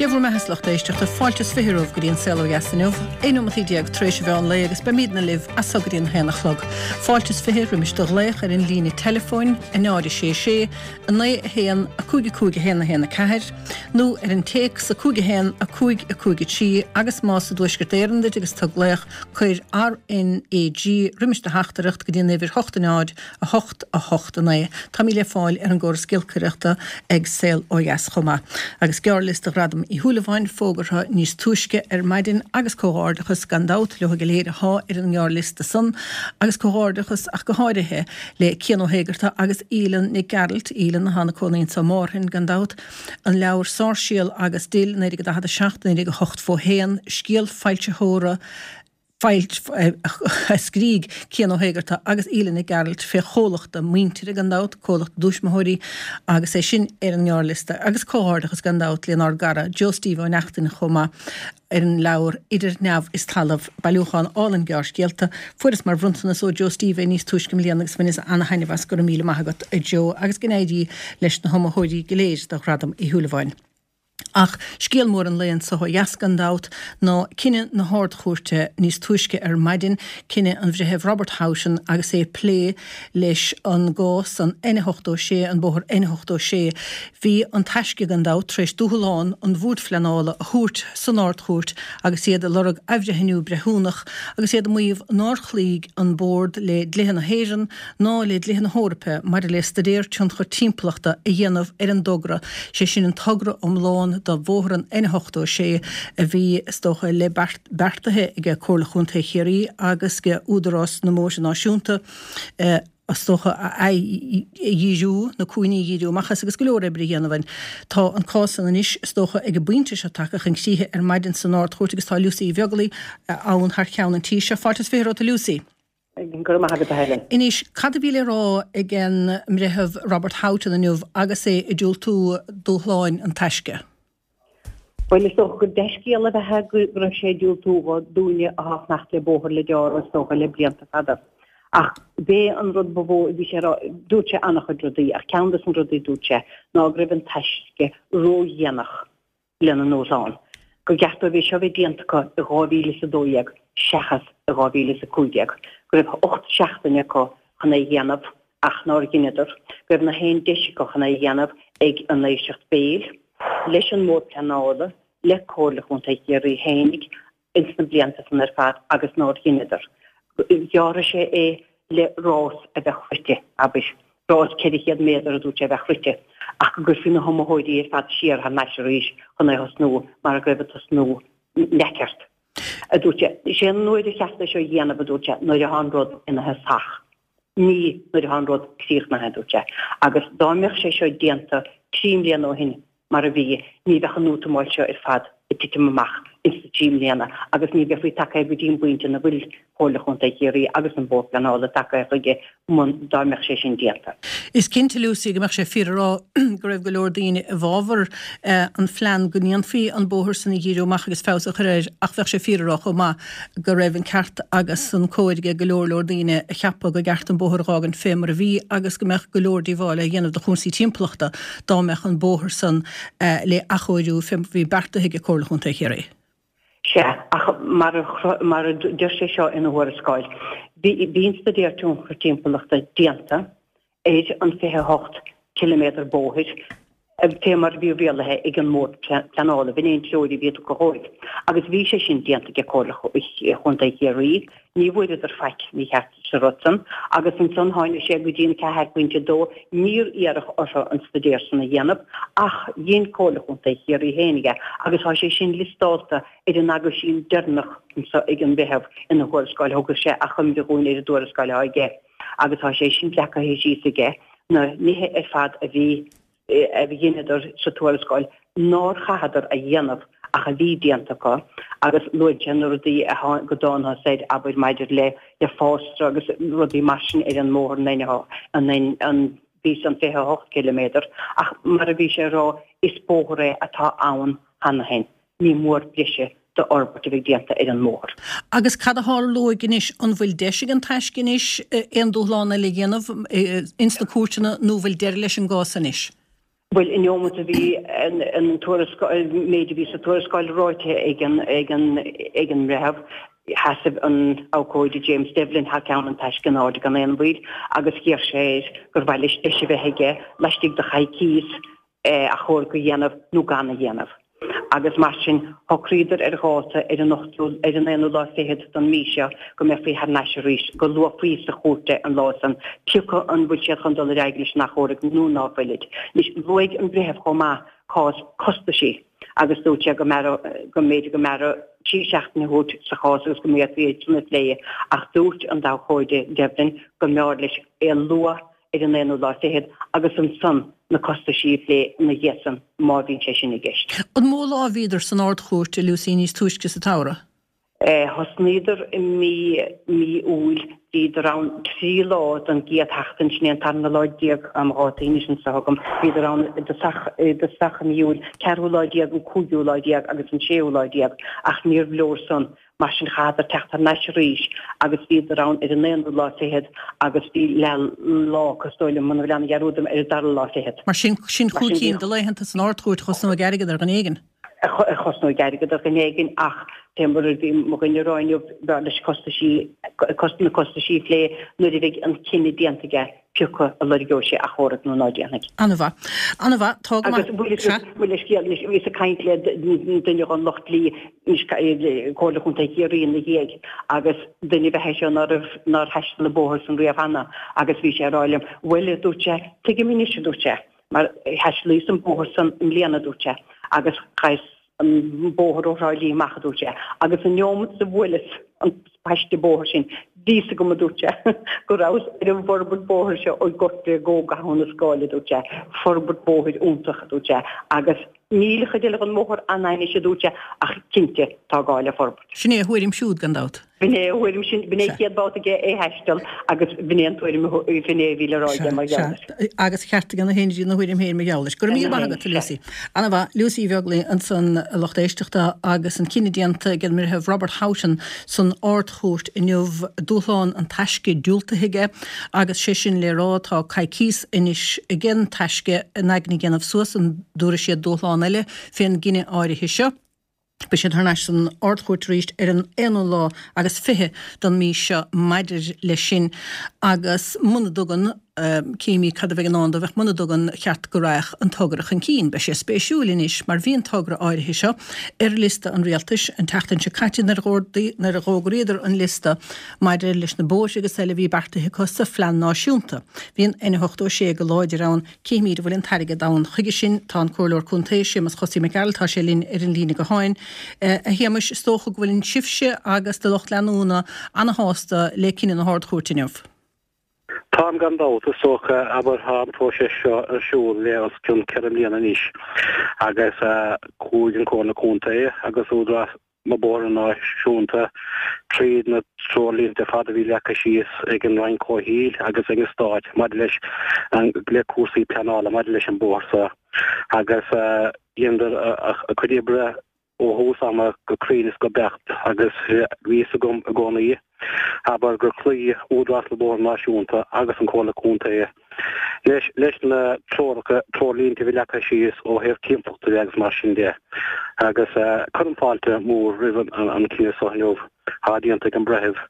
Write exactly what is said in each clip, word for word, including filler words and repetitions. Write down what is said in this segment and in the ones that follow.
Dia bhur mbeatha, a lucht éisteachta, fáilte is fiche romhaibh go dtí an Saol Ó Dheas inniu, aon nóimeataí déag tar éis an mheán lae agus beimidne libh as so go dtí an haon a chlog. Fáilte is fiche roimis do ghlaoch ar an líne teileafóin, a náid a sé sé, a naoi a haon, a cúig a cúig a haon a haon a ceathair, nó ar an téacs a cúig a haon, a cúig a cúig a trí agus más i dTuaisceart Éireann duit agus tú ag glaoch, cuir R N A G roimis do theachtaireacht go dtí an uimhir hocht a náid, a hocht, a hocht a naoi. Táimid le fáil ar an gcóras giolcaireachta ag Saol Ó Dheas chomh maith. Agus gearrliosta Ghradam Uí Shúilleabháin fógartha níos túisce ar maidin agus comhghairdeachas gan dabht leo go léir athá ar an ngearrliosta san agus comhghairdeachas ach go háirithe le Cian Ó hÉigeartaigh agus Aoileann Nic Gearailt, Aoileann athá ina cónaí anso i Márthain gan dabht, an leabhar Sáirséal agus Dill, naoi déag daichead a seacht, naoi déag a hocht fó haon, scéal foilsitheora, a scrígh Cian Ó hÉigeartaigh agus Aoileann Nic Gearailt fé chomhlacht a muintire gan dabht, comhlacht a dtuismitheoirí, agus é sin ar an ngearrliosta. Agus comhghairdeachas gan dabht lenár gcara Joe Steve Ó Neachtain chomh maith ar an leabhar Idir Neamh is Talamh, bailiúchán álainn gearrscéalta. Fuaireas mar bhronntanas ó Joe Steve é níos túisce i mbliana agus bhaineas ana-thaitneamh as. Go raibh míle maith agat a Joe agus go n-éirí leis na hiomaitheoirí go léir do Ghradam Uí Shúilleabháin. Ach scéal mór an lae anso ó dheas gan dabht ná cinneadh na hArd-Chúirte níos túisce ar maidin, cinneadh an Bhreithimh Robert Houghton agus é ag plé leis an gcás, an N ochtó sé, an bóthar N ochtó sé. Bhí An Taisce gan dabht tar éis dúshlán an Bhoird Phleanála a thabhairt san Ard-Chúirt agus iad ag lorg athbhreithniú breithiúnach agus iad ag maíomh nár chloígh an Bord le dlíthe na hÉireann ná le dlíthe na hEorpa maidir le staidéar tionchair timpeallachta a dhéanamh ar an dtogra, sé sin an togra iomlán do bhóthar an N ochtó sé a bhí, is dócha, le beartaithe ag Comhairle Chontae Chiarraí agus ag Údarás na mBóithre Náisiúnta, is dócha, a dhíriú, na cúinní a dhíriú amach as agus go leor oibre a dhéanamh ann. Tá an cás san anois, is dócha, ag an bpointe seo tagtha chun críche ar maidin san Ard-Chúirt agus tá Lucy Uí Bheaglaoi ann thar cheann an tí seo. Fáilte is fiche romhat, a Lucy. Go raibh maith agat, a Helen. Anois, cad a bhí le rá ag an mBreitheamh Robert Houghton inniu agus é ag diúltú dúshláin An Taisce? Bhuel, is dócha gur dea-scéal a bheadh ann go raibh sé ag diúltú dhó dúinne athá ag fanacht le bóthar le gearradh, is dócha, le blianta fada. Ach b'é an rud ba mhó a bhí sé a rá, dúirt sé an-chuid rudaí, ach ceann des na rudaí a dúirt sé ná go raibh an Taisce ródhéanach lena ndúshlán, gur cheart dóibh é seo a bheith déanta acu i dhá mhíle is a dó dhéag seachas i dhá mhíle is a cúig déag, go raibh ocht seachtaine acu chun é a dhéanamh ach nár dheineadar, go raibh na haon deis acu chun é a dhéanamh ag an éisteacht béil, leis an mBord Pleanála, le Comhairle Chontae Chiarraí fhéinig ins na blianta san ar fad agus nár dheineadar. Ghearrfaidh sé é le rás a bheadh rite, abair, rás ceithre chéad méadar a dúirt sé a bheadh rite, ach go gcuirfí na hiomaitheoirí ar fad siar thar n-ais arís chun é a thosnú mar go raibh an tosnú neamhcheart, a dúirt sé. Is é an uair ar cheart é seo a dhéanamh, a dúirt sé, nuair atá an rud ina thosach, ní nuair atá an rud críochnaithe, a dúirt sé. Agus dá mbeadh sé seo déanta trí mbliana ó shin, mar a bhí, ní bheadh an útamáil seo ar fad ag titim amach ins na trí mbliana agus ní bheifí tagtha go dtí an bpointe ina bhfuil Comhairle Chontae Chiarraí agus an Bord Pleanála tagtha chuige mun dá mbeadh sé sin déanta. Is cinnte, Lucy, go mbeadh sé fíor a rá go raibh go leor daoine i bhfabhar an phlean go ndéanfaí an bóthar san a dhíriú amach agus feabhas a chur air ach bheadh sé fíor a rá chomh maith go raibh an ceart agus an cóir ag go leor leor daoine a cheapadh gur cheart an bóthar a dh'fhágaint fé mar a bhí agus go mbeadh go leor díobháil á dhéanamh do chúrsaí timpeallachta dá mbeadh an bóthar san le athchóiriú fé mar bhí beartaithe ag Comhairle Chontae Chiarraí. Sea, ach mar a mar a deir sé seo ina thuarascáil, bhí bhí an staidéar tionchar timpeallachta déanta ar an fiche a hocht ciliméadar bóthair, fé mar a bhí rialaithe ag an mBord Pleanála, b'in é an treoir a bhí tugtha dhóibh. Agus bhí sé sin déanta ag Comhairle Chontae Chiarraí, ní bhfuaireadar faic mícheart sa rud san, agus ansan tháinig sé go dtí an ceathair pointe dó, níor iarradh orthu an staidéar san a dhéanamh, ach dhein Comhairle Chontae Chiarraí féinig é, agus tá sé sin liostálta ar an aguisín deireanach anso ag an Bhreitheamh ina thuarascáil, thug sé achoimre dhúinn ar an dtuarascáil atá aige, agus tá sé sin leagtha síos aige, na nithe ar fad a bhí a dheineadar sa tuarascáil nár chaitheadar a dhéanamh ach a bhí déanta acu agus luann sé na rudaí a go dtángthas air, abair, maidir le le fásra agus rudaí mar sin ar an mbóthar an an an bhí san fiche a hocht ciliméadar ach mar a bhí sé a rá is bóthar é atá ann cheana féin. Ní mór breise d'fhorbairt a bheith déanta ar an mbóthar. Agus cad a tharlóidh anois? An bhfuil deis ag an Taisce anois aon dúshlán eile a dhéanamh ins na cúirteanna nó bhfuil deireadh leis an gcás anois? Bhuel, an neomat a bhí an tuarascáil, méid a bhí sa tuarascáil ráite ag an ag an ag an mbreitheamh, sheasaimh an abhcóide James Devlin thar ceann an taisce in airde gan aon mhoill agus d'iarr sé air gur mhaith leis deis a bheith aige laistigh de choicíos achomharc a dhéanamh nó gan a dhéanamh. Agus mar sin, shocraíodar ar dháta ar an ochtú, ar an aonú lá fichead don mí seo go mbeifí thar n-ais arís, go luafaí sa chúirt é an lá san, pioca an bhfuil siad chun dul ar aghaidh leis an achomharc nó ná fuilid. Anois, luaigh an breitheamh chomh maith cás costaisí agus dúirt sé go mb'fhearra, go mb'fhéidir go mb'fhearra trí seachtaine a thabhairt sa chás agus go bhféadfaí é sin a phlé ach dúirt an t-abhcóide Devlin go mb'fhearr leis é a lua ar an aonú lá fichead agus ansan na costaisí a phlé ina dhiaidh san má bhíonn sé sin i gceist. An mó lá a bhíodar san Ard-Chúirt, a Lucy, níos túisce sa tsamhradh? Thosnaíodar i mí mí Iúil, bhíodar ann trí lá don gcéad sheachtain, sin é an tarna lá déag tá mo dhátaí anois anso agam, bhíodar ann i dtosach i dtosach i mí Iúil, ceathrú lá déag, an cúigiú lá déag agus an séú lá déag ach níorbh leor san. Mar sin chaitheadar teacht thar n-ais arís agus bhíodar ann ar an aonú lá fichead agus bhí leath lá acu is dóigh liom, muna bhfuil aon dhearúd orm, ar an dara lá fichead. Mar sin, sin chúig cinn de laethanta san Ard-Chúirt a chosnóidh airgead ar dhuine éigin. A chosnóidh airgead ar dhuine éigin ach fé mar a bhí mo dhuine a rá inniu, b'fhearr leis costaisí, na costaisí a phlé nuair a bheidh an cinneadh déanta aige. pioca a lorgeoidh sé achomharc nó ná déanfaidh. An-mhaith. An-mhaith. Tá go maith. Agus bhuel le scéal anois, bhíos ag caint le duine den lucht dlí anois, Comhairle Chontae Chiarraí ina dhiaidh agus duine ab ea é seo ná raibh, nár thaistil an bóthar san riamh cheana agus bhí sé ag rá liom, bhuel, a dúirt sé, tuigim anois, a dúirt sé, mar thaistealaíos an bóthar san i mbliana, a dúirt sé, agus chaitheas an bóthar ó Thrá Lí amach, a dúirt sé, agus an neomat a bhuaileas an paiste bóthair sin, bhí fhios agam, a dúirt sé, go rabhas ar an bhforbairt bóthair seo ó Ghort Bhréige go Abhainn na Scáil, a dúirt sé, forbairt bóthair iontach, a dúirt sé, agus níl an chuid eile den mbóthar an-ainnis, a dúirt sé, ach cinnte, tá gá le forbairt. Sin é a thuairim siúd, gan dabht. B'in é a thuairim sin, b'in é an chéad bhabhta aige é thaisteal agus b'in é an tuairim, b'in é a bhí le rá aige mar gheall air. Agus cheart aige ina thuairim féin mar gheall air. Go raibh míle maith agat, a Lucy. Ana-mhaith. Lucy Uí Bheaglaoich ansan, a lucht éisteachta, agus an cinneadh déanta ag an mBreitheamh Robert Houghton san Ard-Chúirt inniu, dúshlán an taisce diúltaithe aige agus sé sin le rá tá coicíos anois ag an taisce a n-aigne a dhéanamh suas an dtabharfaidh siad dúshlán eile fén gcinneadh áirithe seo. Beidh siad thar n-ais san Ard-Chúirt arís ar an aonú lá agus fiche den mí seo maidir leis sin agus muna dtugann, cífimid cad a bheidh i ndán dóibh ach muna dtugann, cheart go raghadh an togra chun cinn. Beidh sé spéisiúil anois mar bhí an togra áirithe seo ar liosta an Rialtais an tseachtain seo caite nuair a d'fhógraíodar an liosta maidir leis na bóithre agus eile a bhí beartaithe acu sa phlean náisiúnta. Bhí an N ochtó a sé go láidir ann. Cífimid an bhfuil an t-airgead ann chuige sin. Tá an Comhairleoir Contae, Séamus Chosaí Mac Gearailt, tá sé linn ar an líne gutháin. A Shéamais, is dócha go bhfuil sibhse agus do lucht leanúna ana-shásta le cinneadh na hArd-Chúirte inniu. Táim gan dabht, is dócha, abair, tá an próiseas seo ar siúl le os cionn ceithre mbliana anois agus chuaigh an Chomhairle Contae agus Údarás na Bóithre Náisiúnta tríd na treoirlínte ar fad a bhí leagtha síos ag an Roinn Comhshaoil agus ag an Stát maidir leis an le cúrsaí pleanála maidir leis an bóthar seo agus dheineadar a cuid oibre ó thús ama go cruinn is go beacht agus bhí fhios agam i gcónaí abair gur chloígh Údarás na Bóithre Náisiúnta agus an Chomhairle Contae leis leis na treoracha, treoirlínte a bhí leagtha síos ó thaobh timpeallachta de agus mar sin de. Agus cuirim fáilte mhór roimh an cinneadh seo inniu atá déanta ag an breitheamh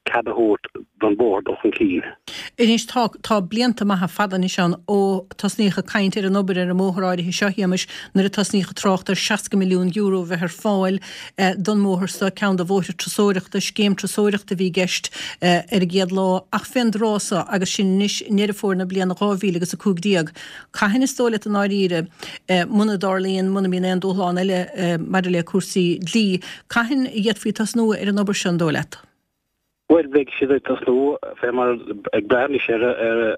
cead a thabhairt don bhóthar dul chun cinn. Anois tá, tá blianta maithe fada anois ann ó tosnaíodh ag caint ar an obair ar an mbóthar áirithe seo, a Shéamais, nuair a tosnaíodh ag trácht ar seasca milliún euro a bheith ar fáil don mbóthar seo, ceann de bhóithre turasóireachta, scéim turasóireachta a bhí i gceist ar an gcéad lá, ach fén dtráth so, agus sinn anois i nDeireadh Fómhair na bliana dhá mhíle agus a cúig déag, cathain is dóigh leat i ndáiríre, muna dtarlaíonn, muna mbíonn aon dúshlán eile maidir le cúrsaí dlí, cathain a d'fhéadfaí tosnú ar an obair seo, an dóigh leat? Bhuel, beidh siad ag tosnú fé mar ag brath anois ar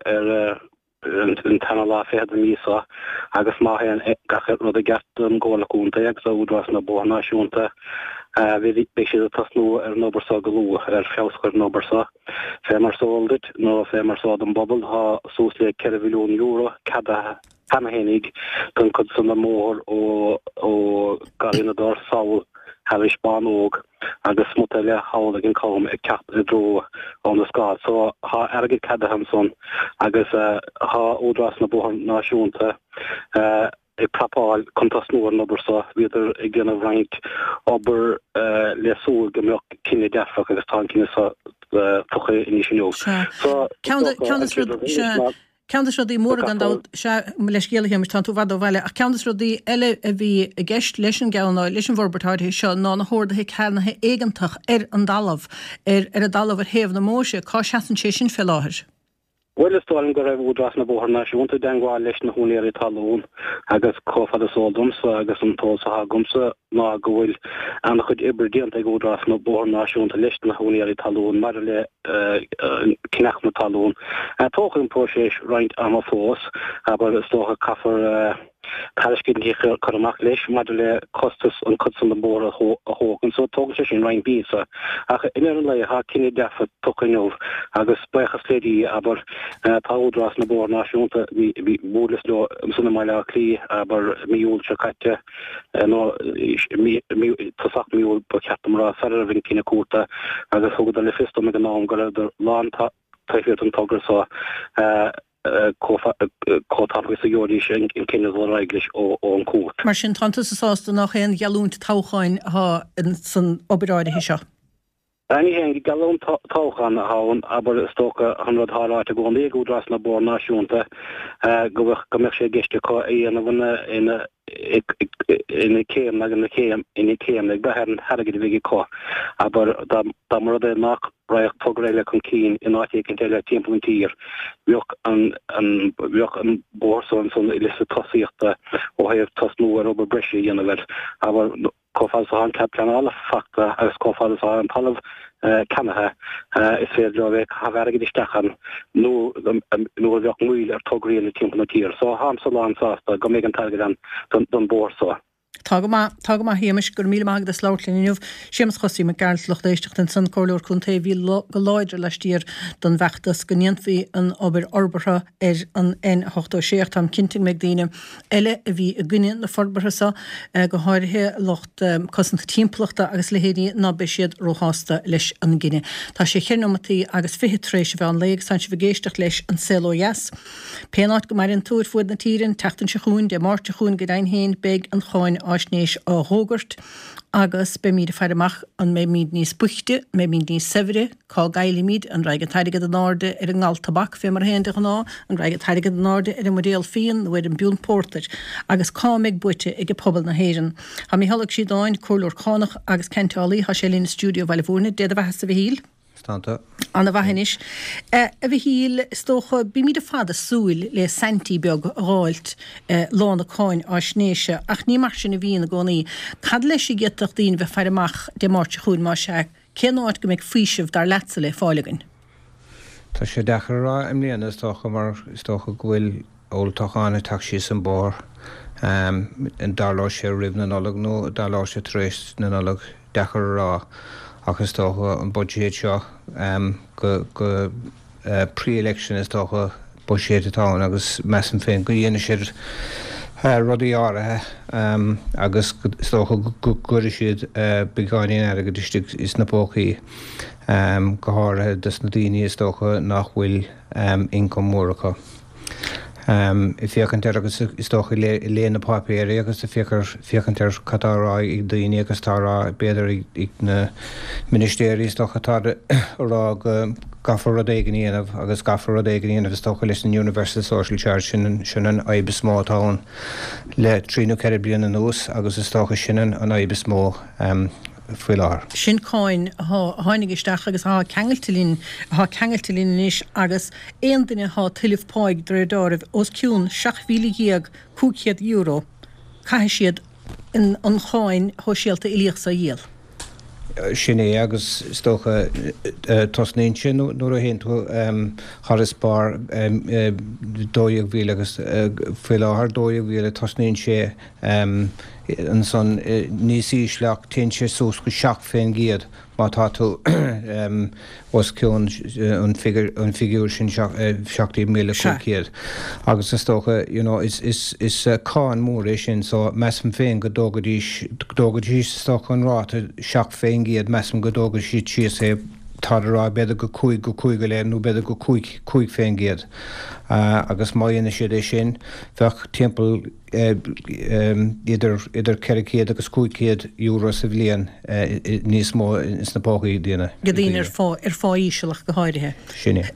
ar an tarna lá fichead den mhí seo agus má théann gach rud i gceart don gComhairle Contae agus do Údarás na Bóithre Náisiúnta beidh siad ag tosnú ar an obair seo go luath, ar feabhas a chur ar an obair seo. Fé mar is eol duit, nó fé mar is eol don bpobal, tá suas le ceithre mhilliún euro ceadaithe cheana fhéinig don chuid san den mbóthar ó Gharraí na dTor sall thairis Bánóg agus smut eile thall ag an gCam ag teacht i dtreo Abhainn na Scáil. So thá airgead ceadaithe ansan agus thá Údarás na Bóithre Náisiúnta ag prapáil chun tosnú ar an obair so. Bhíodar ag déanamh roinnt obair le súil go mbeadh cinneadh dearfach agus tá an cinneadh so tugtha anois inniu. So Ceann de na rudaí móra gan dabht, sea, mo leithscéal a Shéamais, tánn tú i bhfad ó bhaile, ach ceann de na rudaí eile a bhí i gceist leis an gceann, leis an bhforbairt áirithe seo ná na horduithe ceannaithe éigeantach ar an dtalamh, ar ar an dtalamh ar thaobh na Móise, cá seasann sé sin fé láthair? Bhuel, is dóigh liom go raibh Údarás na Bóithre Náisiúnta i dteangmháil leis na húinéirí talún agus chomh fada is eol domsa agus an t-eolas atá agamsa ná go bhfuil an-chuid oibre déanta ag Údarás na Bóithre Náisiúnta leis na húinéirí talún maidir le ceannach na talún. Tógfaidh an próiseas roinnt ama fós, abair, is dócha caithfear tairiscintí a chur amach leis maidir le costas an chuid san den bhóthar a thógaint so tógann sé sin roinnt míosa. Ach i ndeireadh an lae tá cinneadh dearfa tugtha inniu agus buíochas le Dia, abair, tá Údarás na Bóithre Náisiúnta, bhí, bhuaileas leo ansan i mBaile Átha Cliath, abair, mí Iúil seo caite, nó mí, mí, tosach mí Iúil ba cheart dom a rá, sara raibh an cinneadh cúirte agus thugadar le fios dom ag an am go rabhadar lán taobh thiar den togra so. Chomh tapaidh is a gheobhaidís an cinneadh dul ar aghaidh leis ón gcúirt. Mar sin, tánn tusa sásta nach aon gheallúint toghcháin atá san obair áirithe seo? Ní haon gheallúint toghcháin atá ann, abair, is dócha, an rud atá ráite i gcónaí ag Údarás na Bóithre Náisiúnta go mbeadh sé i gceist acu a dhéanamh ina ina céimeanna ina céim ina céimeanna ag brath ar an airgead a bheidh acu. Abair, dá mba rud é nach raghadh togra eile chun cinn in áit éicint eile timpeall an tír, bheadh an an bheadh an bóthar so ansan i liosta tosaíochta ó thaobh tosnú ar obair breise a dhéanamh air. Abair, chomh fada is atá an cead pleanála fachta agus chomh fada is atá an talamh ceannaithe, is féidir leo a bheith ag caitheamh airgid isteach ann nuair a bheadh moill ar tograí eile timpeall na tíre. So táimse lán sásta go mbeidh an t-airgead ann don bóthar so. Tá go maith, tá go maith a Shéamais, go raibh míle maith agat as labhairt linn inniu. Séamus Chosaí Mac Gearailt, lucht éisteachta ansan, Comhairleoir Contae a bhí go láidir laistiar don bhfeachtas go ndéanfaí an obair fhorbartha ar an N ochtó sé ach táim cinnte go mbeidh daoine eile a bhí i gcoinne na forbartha seo, go háirithe lucht cosanta timpeallachta agus a leithéidí, ná beidh siad róshásta leis an gcinneadh. Tá sé cheithre nóimeataí agus fiche tar éis an mheán lae agus tánn sibh ag éisteacht leis An Saol Ó Dheas. Pén áit go maireann tú ar fuaid na tíre, an tseachtain seo chugainn, Dé Máirt seo chugainn go deimhin féin, beidh an cháinfháisnéis á dh'fhógairt agus beimíd ag faire amach an mbeimíd níos boichte, an mbeimíd níos saibhre, cá gcaillfimíd, an raghaidh an t-airgead in airde ar an ngal tobac fé mar a théann de ghnáth, an raghaidh an t-airgead in airde ar an mbuidéal fíon nó ar an bpiúnt pórtair, agus cá mbeidh buaite ag pobal na hÉireann. Tá Mícheál Ó Críodáin, comhairleoir cánach agus ceainteálaí, tá sé linn i stiúideo Bhaile Bhúirne. Dé do bheathasa a Mhichíl. Stanta. Ana mhaith anois. A Mhichíl, is dócha, bímid ar fad ag súil le saintí beag a dh'fháilt lá na cáinfháisnéise, ach ní mar sin a bhíonn i gcónaí. Cad leis a d'fhéadfadh daoine bheith faire amach Dé Máirt seo chugainn, más ea? Cén áit go mbeidh faoiseamh, dar leatsa, le fáil againn? Tá sé deacair a rá i mbliana, is dócha, mar is dócha go bhfuil olltoghchán ag teacht síos an bóthar. An dtarlóidh sé roimh na Nollag nó an dtarlóidh sé tar éis na Nollag, deacair a rá ach is dócha an buiséad seo go go pre-election is dócha buiséad atá ann agus measaim féin go dhéanfaidh siad rudaí áirithe agus is dócha go gcuirfidh siad beagáinín airgid istigh sna pócaí go háirithe dos na daoine is dócha nach bhfuil income mór acu. Ag féachaint air agus is dócha ag léamh na páipéirí agus ag féachaint ar cad tá á rá ag daoine agus tá á rá b'fhéidir ag na ministéirí is dócha atá ag rá go gcaithfear rud éigin a dhéanamh agus caithfear rud éigin a dhéanamh is dócha leis an Universal Social Charge sin sin an fhadhb is mó atá ann le trí nó ceithre bliana anuas agus is dócha sin an fhadhb is mó faoi láthair. Sin cáin a tháinig isteach agus atá ceangailte linn, atá ceangailte linn anois agus aon duine atá ag tuilleamh páigh de réir deáraimh os cionn seacht mhíle dhéag cúig chéad euro, caithfidh siad an cháin shóisialta uilíoch so a dhíol. Sin é agus is dócha tosnaíonn sé nuair a théann tú thar is barr dó dhéag mhíle agus faoi láthair dó dhéag mhíle tosnaíonn sé ansan níos ísle ach téann sé suas go seacht fén gcéad má tá tú os cionn an figiúr sin seacht déag míle cúig chéad. Agus is dócha you know is is is cáin mór é sin so measaim féin go dtógaidís go dtógaidís is dócha an ráta seacht fén gcéad measaim go dtógfaidh siad síos é tá a rá b'fhéidir go cúig go cúig go leith nó b'fhéidir go cúig cúig fén gcéad. Agus má dhéanann siad é sin bheadh timpeall idir idir ceithre chéad agus cúig chéad euro sa bhliain níos mó ins na pócaí daoine. Go daoine ar phá ar phá íseal ach go háirithe. Sin é.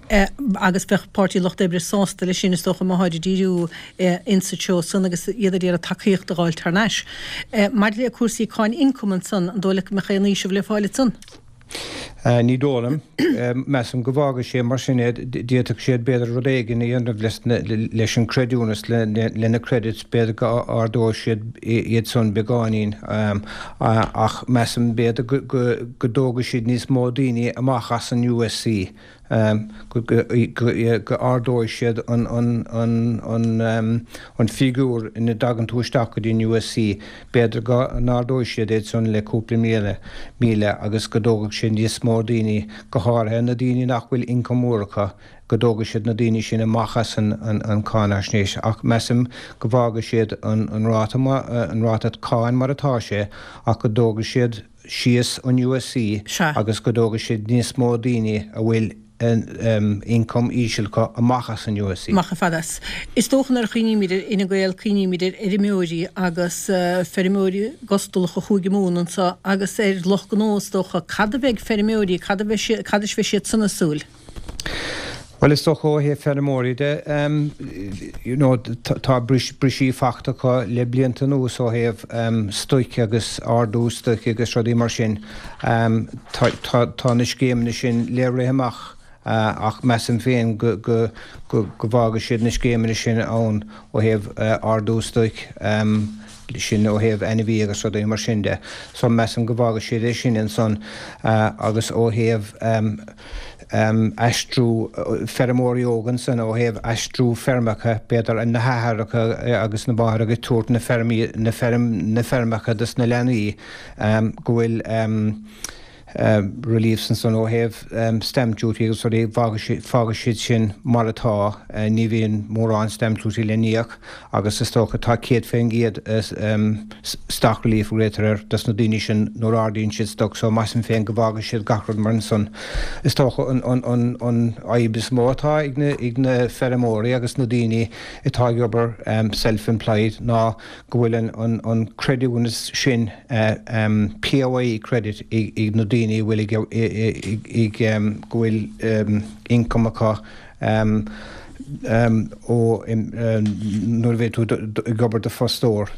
Agus bheadh Páirtí Lucht Oibre sásta leis sin is dócha má tháid ag díriú insa treo san agus iad ag iarraidh tacaíocht a dh'fháilt thar n-ais. Maidir le cúrsaí cáin ioncaim ansan, an dóigh leat go mbeadh aon fhaoiseamh le fáil ansan? Ní dóigh liom. Measaim go bhfágfaidh sé mar sin é. D'fhéadfadh siad b'fhéidir rud éigin a dhéanamh leis an creidiúnas, le na credits, b'fhéidir go ardóidh siad iad san beagáinín. Ach measaim b'fhéidir go dtógfaidh siad níos mó daoine amach as an USC. go ardóidh siad an figiúr ina dtagann tú isteach go dtí an USC, b'fhéidir go n-ardóidh siad é san le cúpla míle, míle agus go dtógfaidh sé níos mó daoine, go háirithe na daoine nach bhfuil ioncam mór acu, go dtógfaidh siad na daoine sin amach as an cáinaisnéis. Ach measaim go bhfágfaidh siad an ráta, an ráta cáin mar atá sé ach go dtógfaidh siad síos an USC agus go dtógfaidh siad níos mó daoine a bhfuil ioncam íseal acu amach as an USC. Amach ar fad as. Is dócha nuair a chuimhnímid ar Fhine Gael cuimhnímid ar fheirmeoirí agus feirmeoirí gustalacha a chuaigh i mbun anseo agus ar lucht gnó is dócha. Cad a bheidh feirmeoirí, cad a bheidh siad, cad is bheidh siad san ag súil? Bhuel, is dócha ó thaobh feirmeoirí de, you know, tá briseadh fachta acu le blianta anuas ó thaobh stoic agus ardú stoic agus rudaí mar sin. Tá na scéimeanna sin le rith amach ach measaim féin go bhfágfaidh siad na scéimeanna sin ann ó thaobh ardú stoic. sin ó thaobh ainmhí agus rudaí mar sin de. So measaim go bhfágfaidh siad é sin ansan agus ó thaobh aistriú feirmeoirí óga ansan ó thaobh aistriú feirmeacha, b'fhéidir na hathaireacha agus na máithreacha ag tabhairt na feirmí, na feirm, na feirmeacha dos na leanaí go bhfuil reliefs ansan ó thaobh stamp duty agus rudaí, fágfaidh siad sin mar atá, ní bhíonn mórán stamp duty le n-íoc agus is dócha tá céad faoin gcéad stock relief a ghlaotar air dos na daoine sin nuair a ardaíonn siad stoc so measaim féin go bhfágfaidh siad gach rud mar ansan. Is dócha an an fhadhb is mó atá ag na ag na feirmeoirí agus na daoine atá ag obair self-employed ná go bhfuil an an creidiúnas sin PAYE credit ag na daoine a bhfuil ag go bhfuil income acu ó nuair a bheidh tú ag obair do fostóir.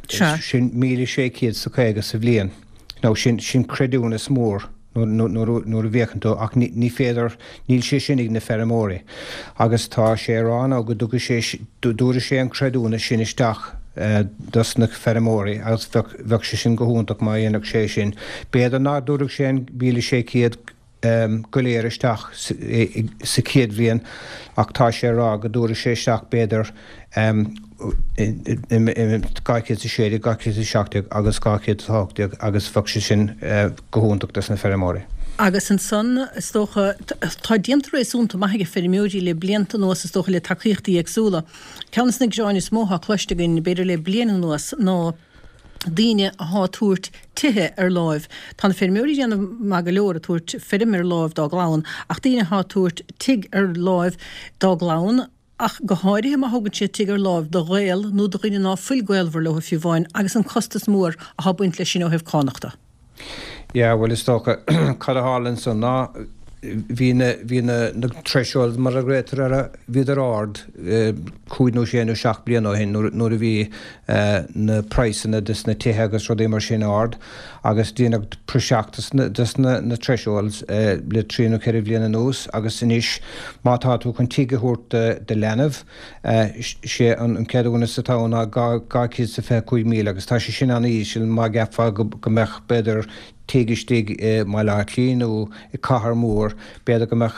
Sin míle sé chéad is a caoga sa bhliain. Now sin sin creidiúnas mór. nuair a bhféachann tú, ach ní féidir, níl sé sin ag na feirmeoirí. Agus tá sé ag rá now go dtugfaidh sé, dtabharfaidh sé an creidiúnas sin isteach dos na feirmeoirí agus bheadh, bheadh sé sin go hiontach má dhéanfadh sé sin. B'fhéidir ná dtabharfadh sé an míle sé chéad go léir isteach sa chéad bhliain ach tá sé ag rá go dtabharfaidh sé isteach b'fhéidir dhá chéad is a sé déag, dhá chéad is a seacht déag agus dhá chéad is a hocht déag agus bheadh sé sin go hiontach dos na feirmeoirí. Agus ansan, is dócha, tá déanta réasúnta maith ag feirmeoirí le blianta anuas, is dócha, le tacaíochtaí éagsúla. Ceann de na gearáin is mó atá cloiste againn, b'fhéidir le bliain anuas, ná daoine athá tabhairt tithe ar láimh. Tá na feirmeoirí ag déanamh maith go leor ag tabhairt feirm ar láimh dá gclann, ach daoine athá tabhairt tigh ar láimh dá gclann, ach go háirithe má thugann siad tigh ar láimh do ghaol nó do dhuine ná fuil gaolmhar leo fiú amháin, agus an costas mór athá ag baint leis sin ó thaobh cánach de. Yeah, bhuel is dócha, cad a tharla ansan ná bhí na, bhí na, na thresholds mar a ghlaotar orthu, bhíodar ard cúig nó sé nó seacht bliana ó shin nuair, nuair a bhí na praghsanna dos na tithe agus rudaí mar sin ard agus déanadh praiseach dos na, dos na, na thresholds le trí nó ceithre bhliain anuas agus anois má tá tú chun tigh a thabhairt do, do leanbh, sé an ceadúnas atá ann ná dhá, dhá chéad is a fiche cúig míle agus tá sé sin an-íseal má cheapfá go, go mbeadh b'fhéidir tigh istigh i mBaile Átha Cliath nó i cathair mhór, b'fhéidir go mbeadh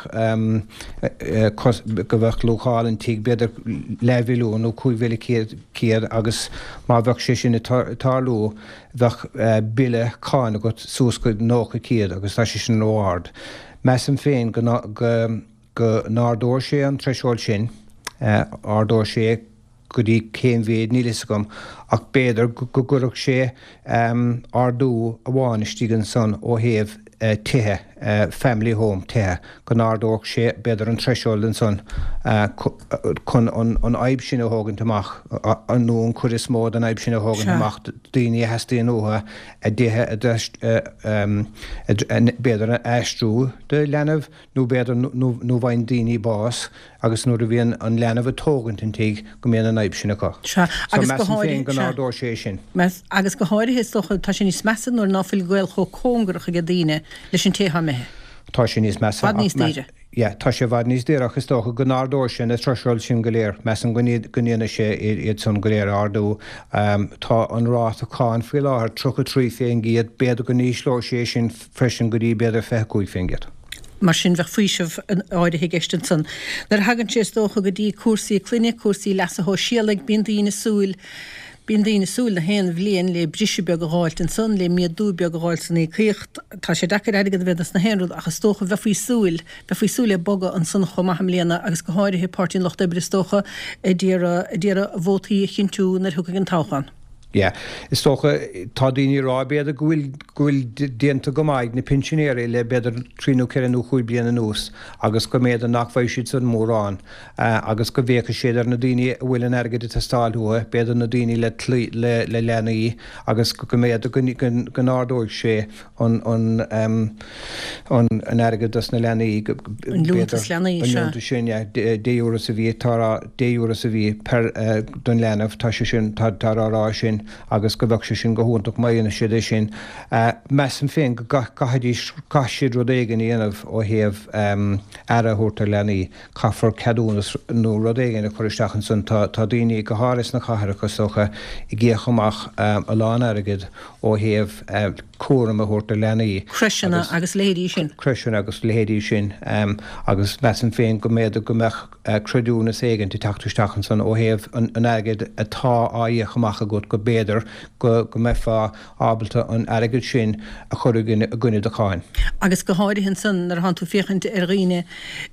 go mbeadh luacháil an tigh b'fhéidir leathmhilliún nó cúig mhíle céad agus má bheadh sé sin ag tarlú bheadh bille cáin agat suas go nócha céad agus tá sé sin ró-ard. Measaim féin go go n-ardóidh sé an threshold sin, ardóidh sé go dtí cén mhéid, níl fhios agam, ach b'fhéidir go gcuirfeadh sé ardú amháin istigh ansan ó thaobh tithe, family home, tithe, go n-ardódh sé b'fhéidir an threshold ansan chun an fhadhb sin a thógaint amach, nó an chuid is mó den fhadhb sin a thógaint amach, daoine a theastaíonn uathu a dtithe a b'fhéidir a aistriú do leanbh nó b'fhéidir nó nó bhfaigheann daoine bás agus nuair a bhíonn an leanbh ag tógaint an tigh go mbíonn an fhadhb sin acu. Sea, So agus go measaim féin háirithe, go sea. n-ardóidh sé é sin. Meas, agus go háirithe is dócha, tá sé níos measa nuair ná fuil gaol chomh cóngarach aige daoine leis an té atá imithe. Tá sé níos measa Bhfad ach níos meas, daoire. yeah, tá sé i bhfad níos daoire ach is dócha go n-ardóidh sé na thresholds sin go léir. Measaim go go ndéanfaidh sé iad san go léir a ardú. Tá an ráta cáin faoi láthair tríocha trí fén gcéad, b'fhéidir go n-ísleoidh sé sin freisin go dtí b'fhéidir fiche cúig fén gcéad. Mar sin bheadh faoiseamh áirithe i gceist ansan. Nuair a thagann sé is dócha go dtí cúrsaí clainne, cúrsaí leasa shóisialaigh, bíonn daoine ag súil, bíonn daoine ag súil na haon bhliain le briseadh beag a dh'fháilt ansan, le méadú beag a dh'fháilt san íocaíocht. Tá sé deacair airgead a bheith dos na haon rud ach is dócha bheifí ag súil, bheifí ag súil le bogadh ansan chomh maith i mbliana agus go háirithe Páirtí an Lucht Oibre is dócha ag iarraidh, ag iarraidh vótaí a chinntiú nuair a thiocfaidh an toghchán. Yeah. Is dócha, tá daoine ag rá b'fhéidir go bhfuil, go bhfuil déanta go maith ag na pinsinéirí le b'fhéidir trí nó ceithre nó chúig bliana anuas agus go mb'fhéidir nach bhfaighidh siad san mórán agus go bhféachfaidh siad ar na daoine a bhfuil an airgead ag teastáil uathu, b'fhéidir na daoine le le le leanaí agus go mb'fhéidir go go n-ardóidh sé an an an an airgead dos na leanaí An liúntas b'fhéidir leanaí, an sea. liúntas sin, yeah, deich euro sa mhí, tá rá deich euro sa mhí per don leanbh, tá sé sin, tá tá á rá sin agus go bheadh sé sin go hiontach má dhéanann siad é sin. Measaim féin go gcaithfidís, caithfidh siad rud éigin a dhéanamh ó thaobh aire a thabhairt ar leanaí, caithfear ceadúnas nó rud éigin a chur isteach ansan, tá tá daoine, go háirithe sna cathracha is dócha, ag íoc amach a lán airgid ó thaobh cúram a thabhairt do leanaí Crècheanna agus agus leithéidí sin. crècheanna agus leithéidí sin agus measaim féin go mb'fhéidir go mbeadh creidiúnas éigin ag teacht isteach ansan ó thaobh an airgid atá á íoc amach agat go mb'fhéidir go go mbeifeá ábalta an airgead sin a chur i gcoinne do cháin. Agus go háirithe ansan nuair atánn tú féachaint ar dhaoine,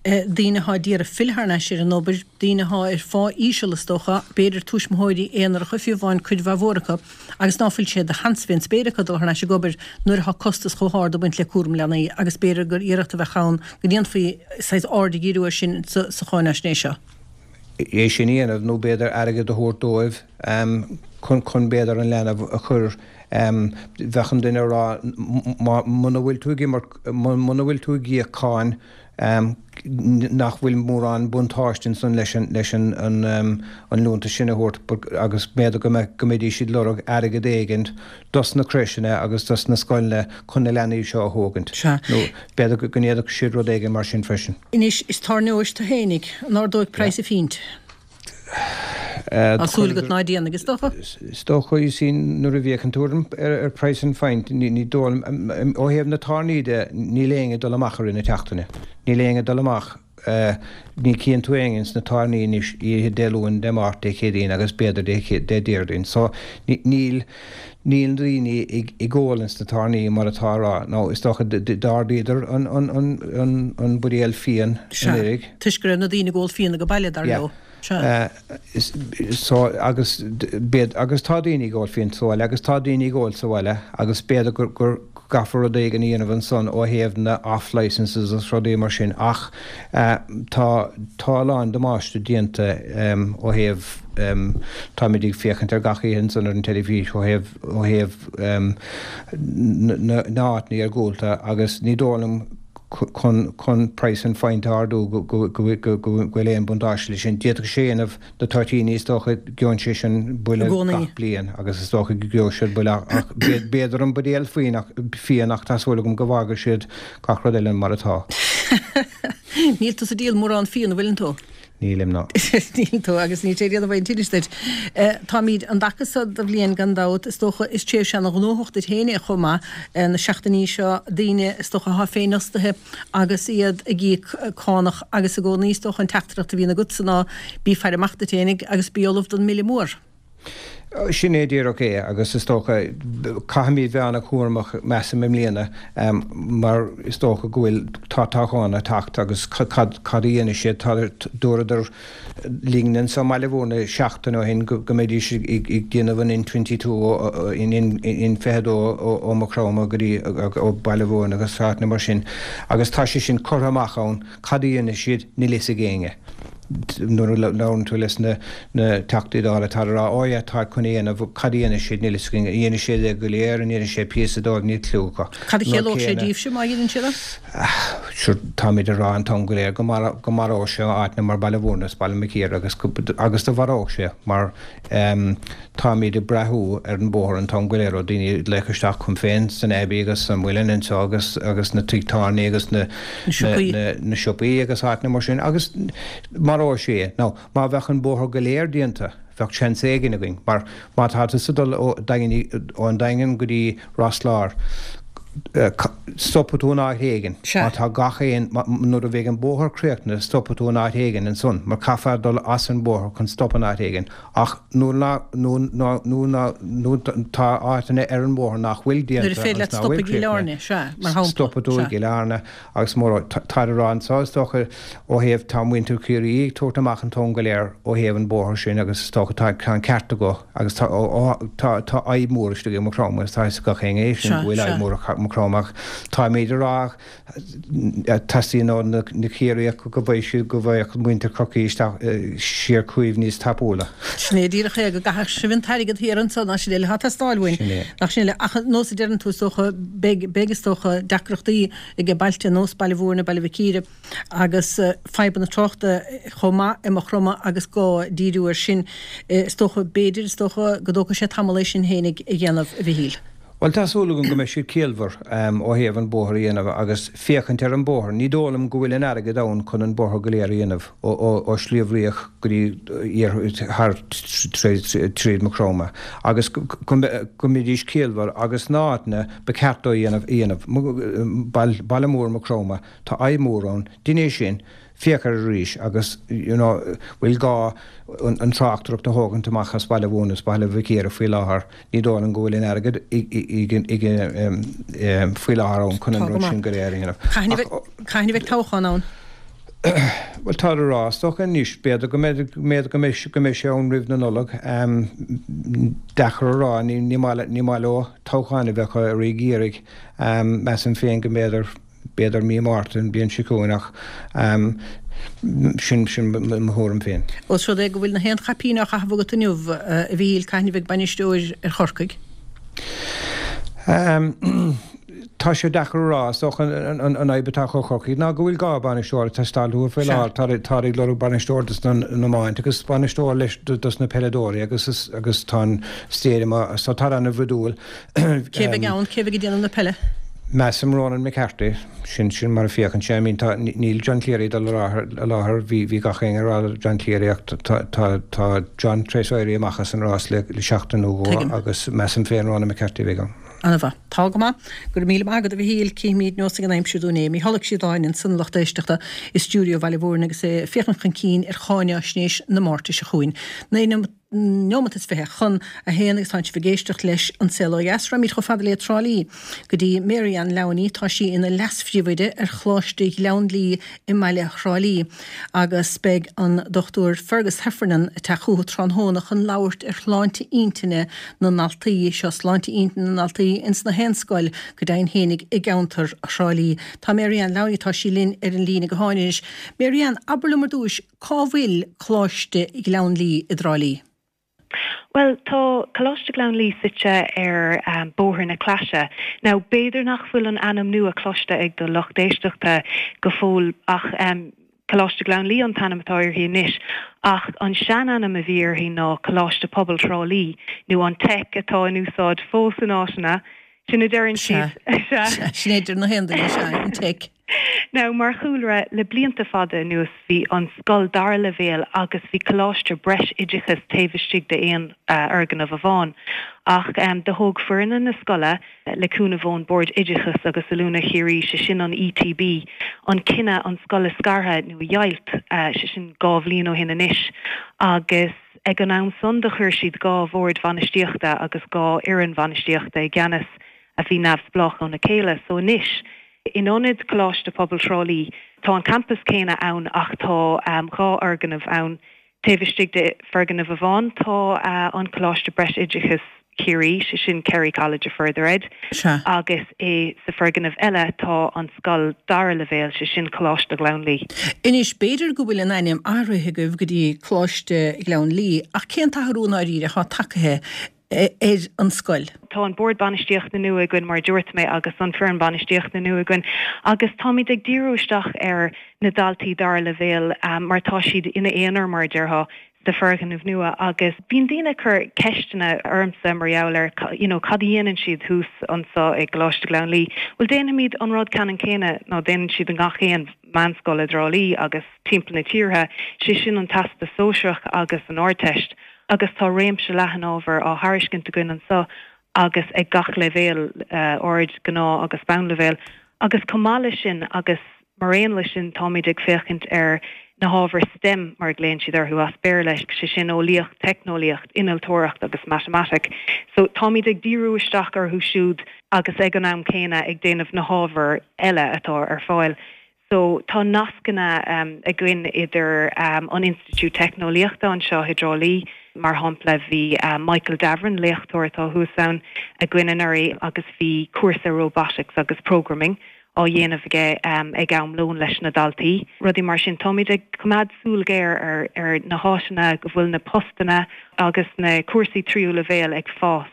daoine athá d'iarraidh filleadh thar n-ais ar an obair, daoine athá ar phá íseal is dócha, b'fhéidir tuismitheoirí aonaracha fiú amháin cuid mhaith mhór acu, agus ná fuil sé de sheans fén spéir acu dul thar n-ais ag obair nuair athá costas chomh hard ag baint le cúram leanaí agus b'fhéidir gur iarracht a bheadh ann go ndéanfaí saghas aird a dhíriú air sin sa cháinaisnéis seo. é sin a dhéanamh nó b'fhéidir airgead a thabhairt dóibh chun chun b'fhéidir an leanbh a chur bheadh an duine ag rá muna bhfuil tú ag imirt muna bhfuil tú ag íoc cáin nach bhfuil mórán buntáiste ansan leis an leis an an liúntas sin a thabhairt agus b'fhéidir go mbeadh go mbeidís ag lorg airgead éigin dos na crècheanna agus dos na scoileanna chun na leanaí seo a thógaint Sea. nó b'fhéidir go ndéanfadh siad rud éigin mar sin freisin. Anois, is tábhairneoir tú fhéinig, an ardóidh praghas an phint? Tá súil agat ná déanfaidh, is dócha? Is dócha, you see, nuair a bhíodh an tuairim ar praghas an phint, ní dóigh liom, ó thaobh na tábhairní de, níl éinne ag dul amach i rith na seachtaine. Níl éinne ag dul amach, ní chíonn tú éinne ins na tábhairní anois oíche Dé Luain, Dé Máirt, Dé Céadaoin agus b'fhéidir Dé Déardaoin. So, níl, níl daoine ag ól ins na tábhairní mar atá a rá. Nó is dócha d'ardaíodar an, an, an, an buidéal fíon Sea, anuraidh. toisc go raibh na daoine ag ól fíona go baile, dar Yeah. leo. Sea. So, agus b'fhéidir, agus tá daoine ag ól fíon sa bhaile agus tá daoine ag ól sa bhaile agus b'fhéidir gur, gur gcaithfear rud éigin a dhéanamh ansan ó thaobh na off licences agus rudaí mar sin ach tá, tá a lán damáiste déanta ó thaobh, táimid ag féachaint ar gach oíche ansan ar an teilifís ó thaobh, ó thaobh na, na háiteanna iargúlta agus ní dóigh liom chun chun praghas an phint a ardú go go go go bhfuil aon buntáiste leis sin. D'fhéadfadh sé a dhéanamh na toitíní is dócha gheobhann sé sin I buille gcónaí. gach bliain agus is dócha go gheobhaidh siad buille ach b'fhéidir an buidéal fíon ach fíon ach tá súil agam go bhfágfaidh siad gach rud eile mar atá. Níl tusa ag díol mórán fíon, an bhfuileann tú? Nílim ná. Níl tú agus níl sé ag déanamh aon tinnis duit. Táimid an dtaca so de bhliain gan dabht, is dócha, is tréimhse ana ghnóthach duit féin é chomh maith, na seachtainí seo, daoine is dócha atá féinfhostaithe agus iad ag íoc cánach agus i gcónaí is dócha an teachtaireacht a bhíonn agatsa ná bí ag faire amach duit féinig agus bí ullamh don mbille mór. Sin é díreach é agus is dócha caithfimid bheith an-chúramach measaim i mbliana mar is dócha go bhfuil, tá toghchán ag teacht agus cad a dhéanfaidh siad, tá, dúradar linn anso i mBaile Mhúirne seachtain ó shin go mbeidís ag déanamh an N twenty two, N fiche dó ó Maigh Chromtha go dtí ó Baile Mhúirne agus áiteanna mar sin agus tá sé sin curtha amach ann, cad a dhéanfaidh siad níl fhios ag éinne. Nuair a labhrann tú leis na Teachtaí Dála táid ag rá, oh yeah, táid chun é a dhéanamh, cad a dhéanfaidh siad, níl fhios againn, an ndéanfaidh siad é go léir, an ndéanfaidh siad píosa dóibh, níl cliú acu. Cad a chiallódh sé díbhse má dhéanann siad é? Sure, táimid ag rá an t-am go léir go maródh sé áiteanna mar Baile Mhúirne is Baile Mhic Íre agus agus do mharódh sé mar táimid ag brath ar an bóthar an t-am go léir ó daoine ag glaoch isteach chugam féin san Abbey agus sa Muileann anseo agus agus na tigh tábhairne agus na na siopaí agus áiteanna mar sin agus maróidh sé é. Now, má bheadh an bóthar go léir déanta, bheadh seans éigin againn, mar má tá tusa ag dul ó ón Daingean go dtí Ros Láir, stopfaidh tú in áit éigin. Má tá gach aon, nuair a bheidh an bóthar críochnaithe, stopfaidh tú in áit éigin ansan, mar caithfear dul as an bóthar chun stop in áit éigin. Ach nuair ná, nó ná, nó ná, nó tá áiteanna ar an bhóthar nach bhfuil Nuair déanta a féidir agus leat nach stop bhfuil i gCill críochnaithe, Airne, sea, mar shampla, stopfaidh tú i sea. gCill Airne agus mura, táid ag rá anso is dócha ó thaobh, tá muintir Chiarraí ag tabhairt amach an t-am go léir ó thaobh an bóthar sin agus is dócha tá, tá an ceart acu agus tá, ó, ó, tá, tá fadhb mhór istigh i Maigh Chromtha agus tá fhios ag gach éinne é sin Sea, go bhfuil sea. fadhb mhór i Maigh Chromtha ach táimid ag rá Teastaíonn ó na Ciarraíoch go bhfaighidh siad, go bhfaigheadh muintir Chorcaí isteach siar chugaibh níos tapúla. Sin é díreach é, go gcaithfeadh sibh an t-airgead thiar anso ná sin eile atá ag teastáil uainn. Sin é. Nach sin eile. Ach nós a deireann tú, is dócha, beidh, beidh is dócha, deacrachtaí ag bailte nós Baile Mhúirne, Baile Mhic Íre agus fadhbanna tráchta chomh maith i Maigh Chromtha agus gá díriú air sin. Is dócha, b'fhéidir, is dócha go dtógfaidh sé tamall é sin fhéinig a dhéanamh, a Mhichíl. Bhuel, tá súil agam go mbeidh siad ciallmhar ó thaobh an bóthar a dhéanamh agus féachaint ar an bóthar. Ní dóigh liom go bhfuil an airgead ann chun an bóthar go léir a dhéanamh ó Shliabh Riach go dtí thar tríd Maigh Chromtha agus go mbeidís ciallmhar agus na áiteanna ba cheart dó a dhéanamh a dhéanamh. Baile mór Maigh Chromtha, tá fadhb mhór ann, dein é sin. Féach air arís agus you know bhfuil gá an tráchtaireacht a thógaint amach as Baile Mhúirne is Baile Mhic Íre faoi láthair, ní dóigh liom go bhfuil an airgead faoi láthair ann chun Tá an go rud maith. sin go léir a dhéanamh. Cathain a Ach bheidh, cathain a bheidh toghchán ann? bhuel táthar ag rá is dócha anois, b'fhéidir go mbeidh, b'fhéidir go mbeidh, go mbeidh sé ann roimh na Nollag. Deacair a rá, ní, ní maith, ní maith leo toghcháin a bheith acu i gCiarraí. Measaim féin go mb'fhéidir, B'fhéidir mí Márta an bhliain seo chugainn ach sin sin mo thuairim féin. Ós rud é go bhfuil na haon chaipín á chaitheamh agat inniu, a Mhichíl, cathain a bheidh bainisteoir ar Chorcaigh? Tá sé deacair a rá. Is dócha an fhadhb atá acu Chorcaigh ná go bhfuil dhá bhainisteoir ag teastáil uathu faoi Sea. láthair. Táid ag lorg bainisteoir dos na iomáint agus bainisteoir leis dos na peileadóirí agus agus tá an stadium so tá an-bhrúidiúil. Cé bheidh ann? Cé bheidh ag déanamh na peile? Measaim Ronan McCarthy, sin sin mar a féachann sé. I mean tá, níl John Cleary ag dul i láthair, bhí bhí gach éinne ag rá le John Cleary ach tá tá tá John tar éis éirí amach as an rás le le seachtain nó dhó Tuigim. agus measaim féin Ronan McCarthy a bheidh ann. Ana-mhaith. Tá go maith. Go raibh míle maith agat a Mhichíl. Cífimid neosfaidh an aimsir dúinn é. Mícheál Ó Síodáin ansan a lucht éisteachta i stiúideo Bhaile Mhúirne agus é ag féachaint chun cinn ar cháináisnéis na Máirte seo chugainn. Naoi neomat is fiche chun a haon agus tánn sibh ag éisteacht leis An Saol Ó Dheas. Raghaimid chomh fada le Trá Lí go dtí Mary Ann Lowney. Tá sí ina leas-phríomhoide ar Choláiste Ghleann Lí i mbaile Thrá Lí agus beidh an Dochtúir Fergus Heffernan ag teacht chucu tráthnóna chun labhairt ar shláinte intinne na ndaltaí. Seo sláinte intinne na ndaltaí ins na haon scoil go deimhin fhéinig i gceantar Thrá Lí. Tá Mary Ann Lowney, tá sí linn ar an líne gutháin anois. Mary Ann, abair liom ar dtúis, cá bhfuil Coláiste Ghleann Lí i dTrá Lí? Bhuel, tá Coláiste Ghleann Lí suite ar Bhóthar na Claise. Now, b'fhéidir nach bhfuil an ainm nua cloiste ag do lucht éisteachta go fóill ach Coláiste Ghleann Lí an t-ainm atá uirthi anois, ach an seanainm a bhí uirthi ná Coláiste Pobail Thrá Lí, nó an Teic atá in úsáid fós in áiteanna. Sin a deireann Sea, siad. Sea. sea, sin é a deir na haon duine, sea, an Teic. Now, mar chúlra le blianta fada anuas bhí an scoil dara leibhéal agus bhí coláiste breisoideachais taobh istigh d'aon fhoirgneamh amháin. Ach um, do thóg foirne na scoile le cúnamh ón Bord Oideachais agus Oiliúna Chiarraí sé sin an ETB, an cinneadh an scoil a scartha nó a dheighilt uh, sé sin dhá bhliain ó shin anois agus ag an am san do chuir siad dhá bhord bhainistíochta agus dhá fhoireann bhainistíochta i gceannas a bhí neamhspleách óna chéile so anois in ionad Coláiste Pobail Thrá Lí tá an campus céanna ann ach tá um, dhá fhoirgneamh ann taobh istigh de foirgneamh amháin tá uh, an Coláiste Breisoideachais Chiarraí sé sin Kerry College of Further Ed agus é sa foirgneamh eile tá an scoil dara leibhéal sé sin Coláiste Ghleann Lí. Anois b'fhéidir go bhfuil an ainm athraithe agaibh go dtí Coláiste Ghleann Lí ach cén t-athrú ndáiríre atá tagtha ar an scoil. Tá an bord bainistíochta nua againn mar dúirt mé agus an foireann bainistíochta nua againn agus táimid ag díriú isteach ar na daltaí dara leibhéal um, mar tá siad ina aonar mar a déarfá sa foirgneamh nua agus bíonn daoine ag cur ceisteanna ormsa mar gheall ar you know, cad a dhéanann siad thuas anseo i gColáiste Ghleann Lí. Well déanaimid an rud ceannann céanna ná déanann siad i ngach aon mheánscoil i dTrá Lí agus timpeall na tíre, sé sin an Teastas Sóisearach agus an Ardteist. agus tá réimse leathan ábhar á thairiscint againn anseo agus ag gach leibhéal uh, ard gnáth agus bonnleibhéal agus chomh maith leis sin agus mar aon leis sin táimid ag féachaint ar na hábhair STEM mar a ghlaonn siad orthu as Béarla sé sin eolaíocht, teicneolaíocht, innealtóireacht agus matamaitic. So táimid ag díriú isteach orthu siúd agus ag an am céanna ag déanamh na hábhair eile atá ar fáil. So tá nascanna um, againn idir um, an Institiúid Teicneolaíochta anseo i dTrá Lí, mar shampla bhí uh, Michael Davern léachtóir atá thuas ann againn anuraidh agus bhí cúrsa robotics agus programming á dhéanamh aige um, ag am lóin leis na daltaí. Rudaí mar sin táimid ag coimeád súil ghéar ar, ar na háiseanna go bhfuil na postanna agus na cúrsaí tríú leibhéal ag fás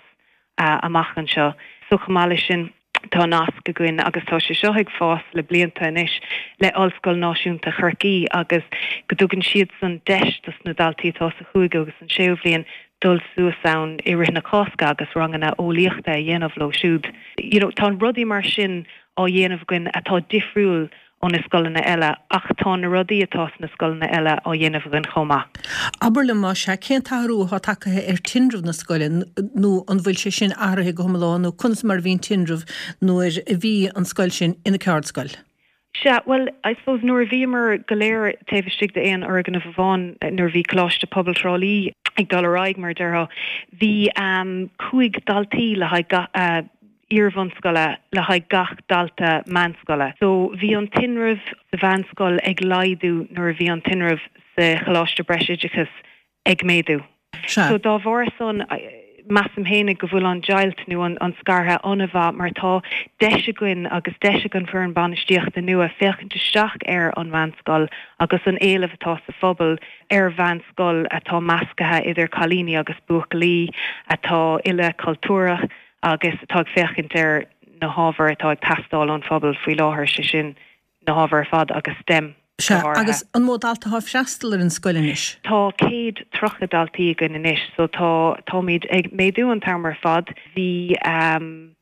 uh, amach anseo. So chomh maith leis sin tá nasc againn agus tá sé seo ag fás le blianta anois le Ollscoil Náisiúnta Chorcaí agus go dtugann siad san deis dos na daltaí atá sa chúigiú agus an séú bhliain dul suas ann i rith na Cásca agus ranganna eolaíochta a dhéanamh leo siúd. You know, tá rudaí mar sin á dhéanamh againn atá difriúil ó na scoileanna eile ach tá na rudaí atá sna scoileanna eile á dhéanamh againn chomh maith. Abair liom más ea cén t-athrú atá tagtha ar tinreamh na scoile nó an bhfuil sé sin athraithe go hiomlán nó conas mar a bhí an tinreamh nuair a bhí an scoil sin ina ceardscoil? Sea, well, I suppose nuair a bhíomar go léir taobh istigh d'aon fhoirgneamh amháin nuair a bhí Coláiste Pobail Thrá Lí ag dul ar aghaidh mar a déarfá, bhí um, cúig daltaí le haghaidh uh, iarbhunscoile le haghaidh gach dalta meánscoile. So bhí an tinreamh sa mheánscoil ag laghdú nuair a bhí an tinreamh sa Choláiste Breisoideachais ag méadú. So dá bharr san measaim féinig go bhfuil an deighilt nó an, an scartha an-mhaith mar tá deis againn agus deis ag an bhfoireann bainistíochta nua féachaint isteach ar an mheánscoil agus an éileamh atá sa phobal ar mheánscoil atá measctha idir cailíní agus buachaillí atá ilchultúrtha agus atá ag féachaint ar na hábhair atá ag teastáil ón phobal faoi láthair sé sin na hábhair ar fad agus STEM. Sea, agus an mó dalta atá ag freastal ar an scoil anois? Tá céad tríocha daltaí againn anois, so tá táimid ag méadú an t-am ar fad. Bhí um,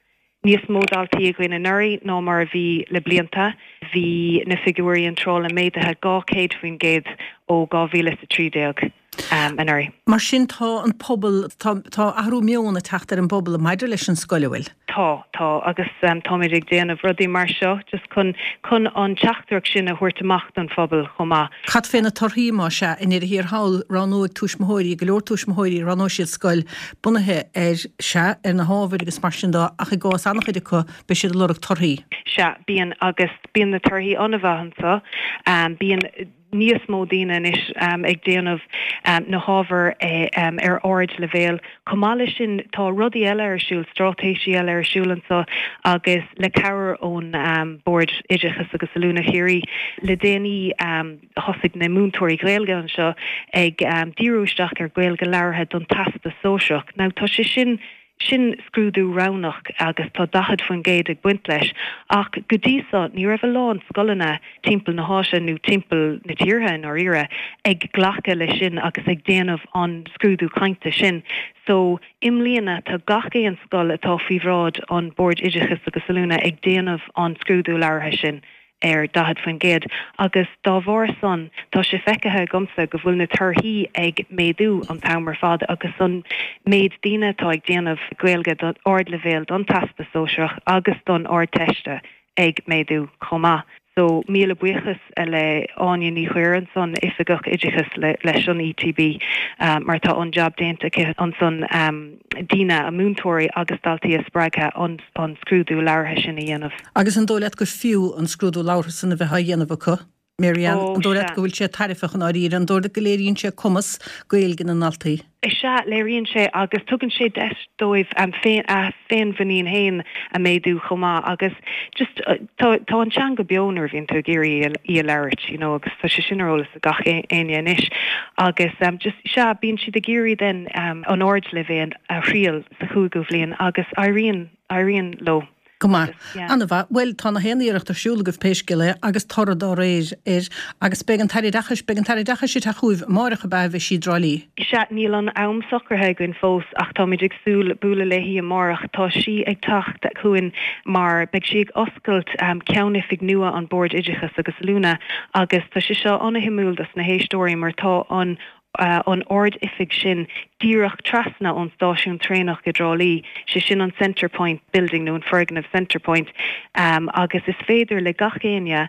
níos mó daltaí againn anuraidh ná mar a bhí le blianta. Bhí na figiúirí iontrála méadaithe dhá chéad faoin gcéad ó dhá mhíle is a trí déag um, anuraidh. Mar sin tá an pobal tá, tá athrú meoin ag teacht ar an bpobal maidir leis an scoil an bhfuil. Tá tá agus um, táimid ag déanamh rudaí mar seo just chun chun an teachtaireacht sin a thabhairt amach don phobal chomh maith. Cad fé na torthaí má sea i ndeireadh thiar thall roghnóidh tuismitheoirí go leor tuismitheoirí roghnóidh siad scoil bunaithe ar sea ar na hábhair agus mar sin de ach i gcás an-chuid acu beidh siad ag lorg torthaí. Sea bíonn agus bíonn na torthaí an-mhaith anseo um, bíonn níos mó daoine anois um, ag déanamh um, na hábhair eh, um, ar ardleibhéal. Chomh maith leis sin tá rudaí eile ar siúl, straitéisí eile ar siúl anseo agus le cabhair ón um, Bord Oideachais agus Oiliúna Chiarraí le déanaí um, thosaigh na múinteoirí Gaeilge anseo ag um, díriú isteach ar Ghaeilge labhartha don Teastas Sóisearach. Now tá sé sin sin scrúdú roghnach agus tá daichead faoin gcéad ag baint leis, ach go dtí seo ní raibh a lán scoileanna timpeall na háite nó timpeall na tíre i ndáiríre ag glacadh leis sin agus ag déanamh an scrúdú cainte sin. So i mbliana tá gach aon scoil atá faoi bhráid an Bord Oideachais agus Oiliúna ag déanamh an scrúdú labhartha sin. ar daichead faoin gcéad agus dá bharr san tá sé feicthe agamsa go bhfuil na torthaí ag méadú an t-am ar fad agus an méid daoine atá ag déanamh Gaeilge don ardleibhéal don Teastas Sóisearach agus don Ardteiste ag méadú chomh maith. So míle buíochas le Áine Ní Chuir ansan, Oifigeach Oideachais leis an ETB mar tá an jab déanta aici ansan daoine, múinteoirí agus daltaí a spreagadh an an scrúdú labhartha sin a dhéanamh. Agus an dóigh leat gur fiú an scrúdú labhartha san a bheith á dhéanamh acu? Mary Ann, An dóigh leat go bhfuil sé tairbheach i ndáiríre? An dóigh leat go léiríonn sé cumas Gaeilge na ndaltaí? Is ea, léiríonn sé agus tugann sé deis dóibh a féinmhuinín féin a méadú chomh maith agus just tá tá an teanga beo nuair a bhíonn tú ag iarraidh í a labhairt you know agus tá sé sin ar eolas ag gach éinne anois agus just sea bíonn siad ag iarraidh then an ardleibhéal a thriail sa chúigiú bhliain agus éiríonn éiríonn leo. Go maith. An-mhaith. Bhuel, tá na haon iarracht ar siúl agaibh pé scéal é agus toradh dá réir air. Agus beidh an tAire Oideachais, beidh an tAire Oideachais ag teacht chugaibh amáireach ab ea a bheidh sí i dTrá Lí? Sea, níl an am socraithe againn fós ach táimid ag súil bualadh léi amárach. Tá sí ag teacht chugainn mar beidh sí ag oscailt ceannoifig nua an Bord Oideachais agus Oiliúna agus tá sé seo an-shuimiúil dos na héisteoirí mar tá an an ard-oifig sin díreach trasna ón stáisiún traenach i dTrá Lí, sé sin an Centrepoint Building nó an foirgneamh Centrepoint, agus is féidir le gach éinne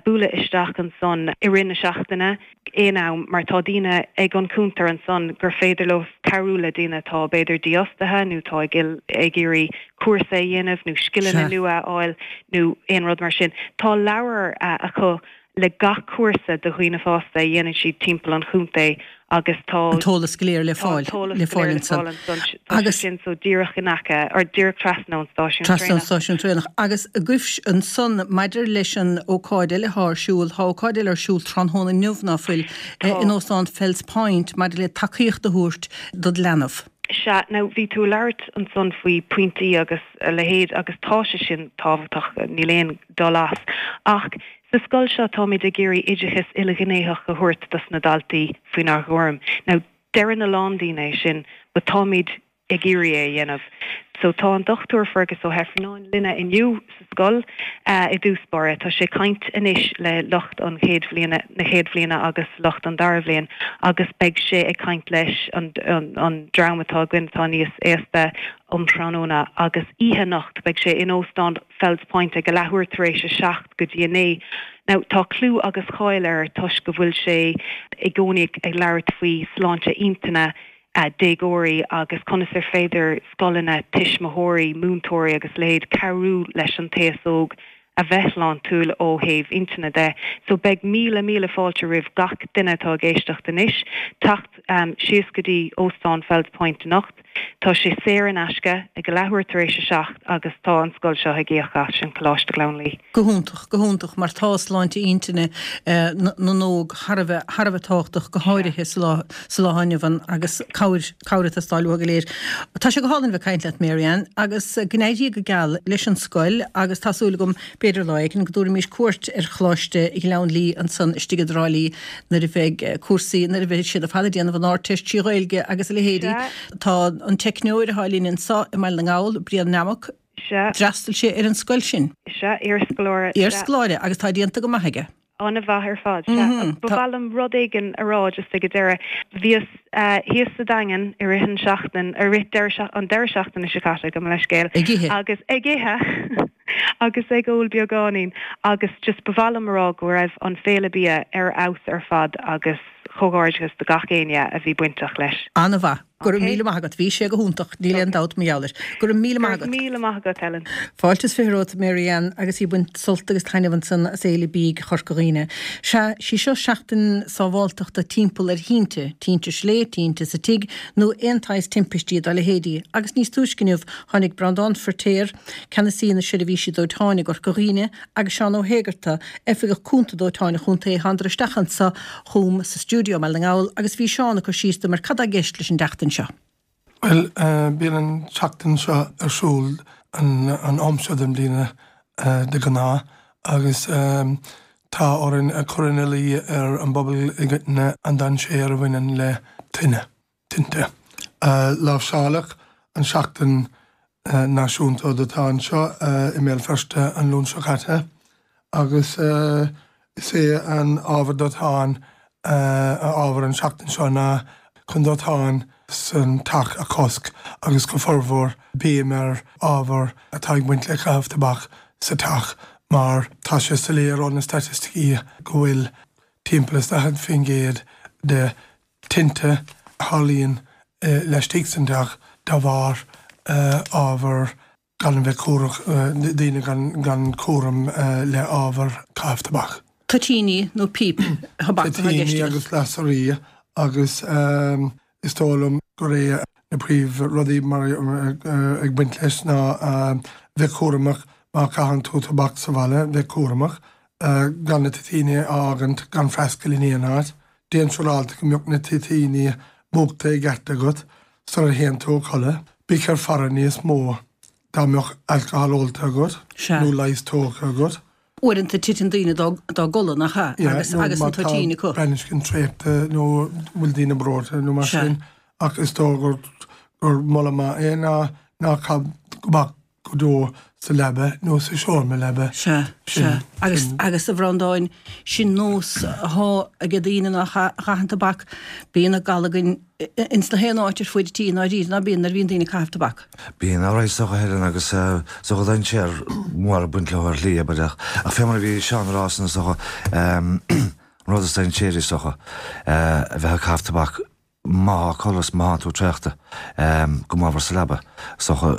bualadh isteach ansan i rith na seachtaine aon am mar tá daoine ag an cuntar ansan gur féidir leo cabhrú le daoine atá b'fhéidir dífhostaithe nó atá ag ag iarraidh cúrsa a dhéanamh nó scileanna nua a fháil nó aon rud mar sin. Tá leabhar acu le gach cúrsa do dhaoine fásta a dhéanann siad timpeall an chontae agus tá an t-eolas go léir le fáil le fáil ansan. Agus sin so díreach in aice or díreach trasna ón stáisiún traenach. Trasna ón stáisiún traenach. Agus agaibh ansan maidir leis an ócáid eile atá ar siúl, tá ócáid eile ar siúl tráthnóna inniu ná fuil, in Óstán Fells Point maidir le tacaíocht a thabhairt dod leanbh. Sea, now bhí tú ag labhairt ansan faoi pointí agus a leithéid agus tá sé sin tábhachtach, níl aon dul as. Ach sa scoil seo táimid ag iarraidh oideachas ilghnéitheach a thabhairt dos na daltaí faoinár gcúram. Now deireann a lán daoine é sin but táimid ag iarraidh é a dhéanamh. So tá an Dochtúir Fergus Ó hIfearnáin linne inniu sa scoil i dtús báire. Tá sé ag caint anois le lucht an chéad bhliana, na chéad bhliana agus lucht an dara bhliain agus beidh sé ag caint leis an an dream atá againn atá níos aosta um thráthnóna agus oíche anocht beidh sé in Óstán Fells Point ag a leathuair tar éis a seacht go dtí a naoi. Now tá clú agus cáil air toisc go bhfuil sé i gcónaí ag labhairt faoi sláinte intinne déagóirí agus conas ar féidir scoileanna, tuismitheoirí, múinteoirí agus a leithéid cabhrú leis an t-aos óg a bheith sláintiúil ó thaobh intinne de. So beidh míle míle fáilte roimh gach duine atá ag éisteacht anois teacht síos go dtí Óstán Fells Point anocht. Tá sé saor in aisce ag a leathuair tar éis a seacht agus tá an scoil seo ag íoc as, sin Coláiste Ghleann Lí. Go hiontach, go hiontach, mar tá sláinte intinne na n-óg thar a bheith, thar a bheith tábhachtach, go háirithe sa lá, sa lá inniu ann agus cabhair, cabhair ag teastáil uathu go léir. Tá sé go hálainn bheith ag caint leat, Mary Ann, agus go n-éirí go geal leis an scoil agus tá súil agam, b'fhéidir lá éigin, go dtabharfaimis cuairt ar Choláiste Ghleann Lí ansan istigh i dTrá Lí nuair a bheidh cúrsaí, nuair a bheidh siad ar fad ag déanamh an Ardteist trí Ghaeilge agus a leithéidí. Tá an teicneoir atá linn anso i mBaile na nGall, Brian Nammock, d'fhreastail sé ar an scoil sin. Sea, iarscoláire. Iarscoláire, agus tá déanta go maith aige. An-mhaith ar fad, sea. Ba mhaith liom rud éigin a rá just ag an deireadh. Bhíos thíos sa Daingean i rith an seachtain, i rith deireadh, an deireadh seachtaine seo caite, gabh mo leithscéal. Ag ithe. Agus ag ithe agus ag ól beagáinín agus just ba mhaith liom a rá go raibh an féile bia ar fheabhas ar fad agus comhghairdeachas do gach éinne a bhí bainteach leis. An-mhaith. Go raibh míle maith agat. Bhí sé go hiontach, níl aon dabht mar gheall air. Go raibh míle maith agat. Go raibh míle maith agat, Ellen. Fáilte is fiche romhat, Mary Ann, agus í ag baint sult agus taitneamh ansan as Fhéile Bídh Chorca Dhuibhne. Sea, sí seo seachtain sábháltachta timpeall ar thinte, tinte slé, tinte sa tigh, nó aon tsaghas timpistí dá leithéidí. Agus níos túisce inniu tháinig Breandán Feirtéar, Ceannasaí na Seirbhísí Dóiteáin i gCorca Dhuibhne, agus Seán Ó hÉigeartaigh, Oifigeach Cúnta Dóiteáin an Chontae, thánadar isteach anso chugam sa stiúideo i mBaile na nGall agus bhí Seán ag cur síos dom ar cad tá i gceist leis an tseachtain seo. Bhuel, bíonn an tseachtain seo ar siúl an am seo den bhliain de ghnáth agus tá orainn a chur ina luí ar an bpobal i gcoitinne an dainséar a bhaineann le tine, tinte. Láimhseáladh an tseachtain náisiúnta dóiteáin seo i mBéal Feirste an Luan seo caite Agus is é an ábhar dóiteáin a ábhar an seachtain seo ná chun dóiteán san teach a chosc agus go formhór béim ar ábhar atá ag baint le caitheamh tobac sa teach mar tá sé soiléir ó na staitisticí go bhfuil timpeall is daichead faoin gcéad de tinte a tharlaíonn laistigh san teach de bharr ábhar gan a bheith cúramach, daoine gan cúram le ábhar caitheamh tobac. Toitíní nó píp thobac atá i gceist Toitíní agus lasairí agus is dóigh liom gur é na príomh rudaí mar ag baint leis ná bheith cúramach má chaitheann tú tobac sa bhaile, bheith cúramach gan na toitíní a fhágaint gan freastal in aon áit. Déan siúráilte go mbeadh na toitíní múchta i gceart agat sula théann tú a chodladh. Bí ar faire níos mó dá mbeadh alcohol ólta agat nó leigheas tógtha agat. Uaireanta titeann daoine dá gcodladh, nach ea? Agus agus an toitín acu. Má tá brainscin traochta nó bhfuil daoine breoite nó mar sin. Ach is dóigh gur gur moladh maith é ná ná caith tobac go deo sa leaba nó sa seomra leaba. Sea, sea. Agus, agus a Bhreandáin, sin nós athá age daoine nach gcaitheann tobac, bíonn na gallagain ins na haon áit ar fuaid an tí i ndáiríre, ná bíonn nuair a bhíonn daoine ag caitheamh tobac? Bíonn, alright is dócha a Helen agus is dócha dainséar mór ag baint leo ar shlí, abair, ach, ach fé mar a bhí Seán a rá san is dócha, an rud is dainséaraí is dócha, a bheith ag caitheamh tobac, Má tá codladh is má tá tú traochta go mór sa leaba, is dócha,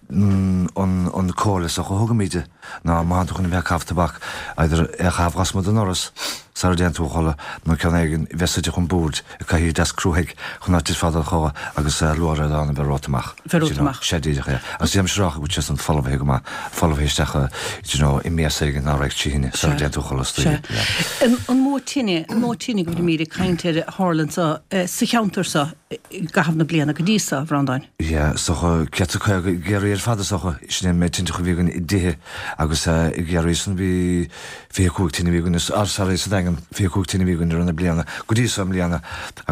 an comhairle is dócha a thugaimíde ná má tá tú chun a bheith ag caitheamh tobac, either é a chaitheamh lasmuigh den ndoras sara dtéann tú a chodladh nó ceann éigin a bheith suite chun boird ag cathaoir deas cruaidh chun ná titfeá i do chodladh agus luaithreadán a bheith romhat amach. Bheith romhat amach. Sea díreach é. Agus déanaimse rá go bhfuil sé san folmhaithe go maith, folmhaithe isteach do you know i mias éigin ná raghadh trí thine sara dtéann tú a chodladh istoíche. Sea. An mó tine, an mó tine go bhfuilimíd ag caint air a tharla anso sa cheantar so i gcaitheamh na bliana go dtí so, a Bhreandáin? Yeah, is dócha, céad is caoga i gCiarraí ar fad is dócha, sin é an méid tinte a bhí againn i dtithe agus i gCiarraí san bhí fiche cúig tine a bhí againn, ah sorry, sa Daingean, fiche cúig tine a bhí againn i rith na bliana go dtí so i mbliana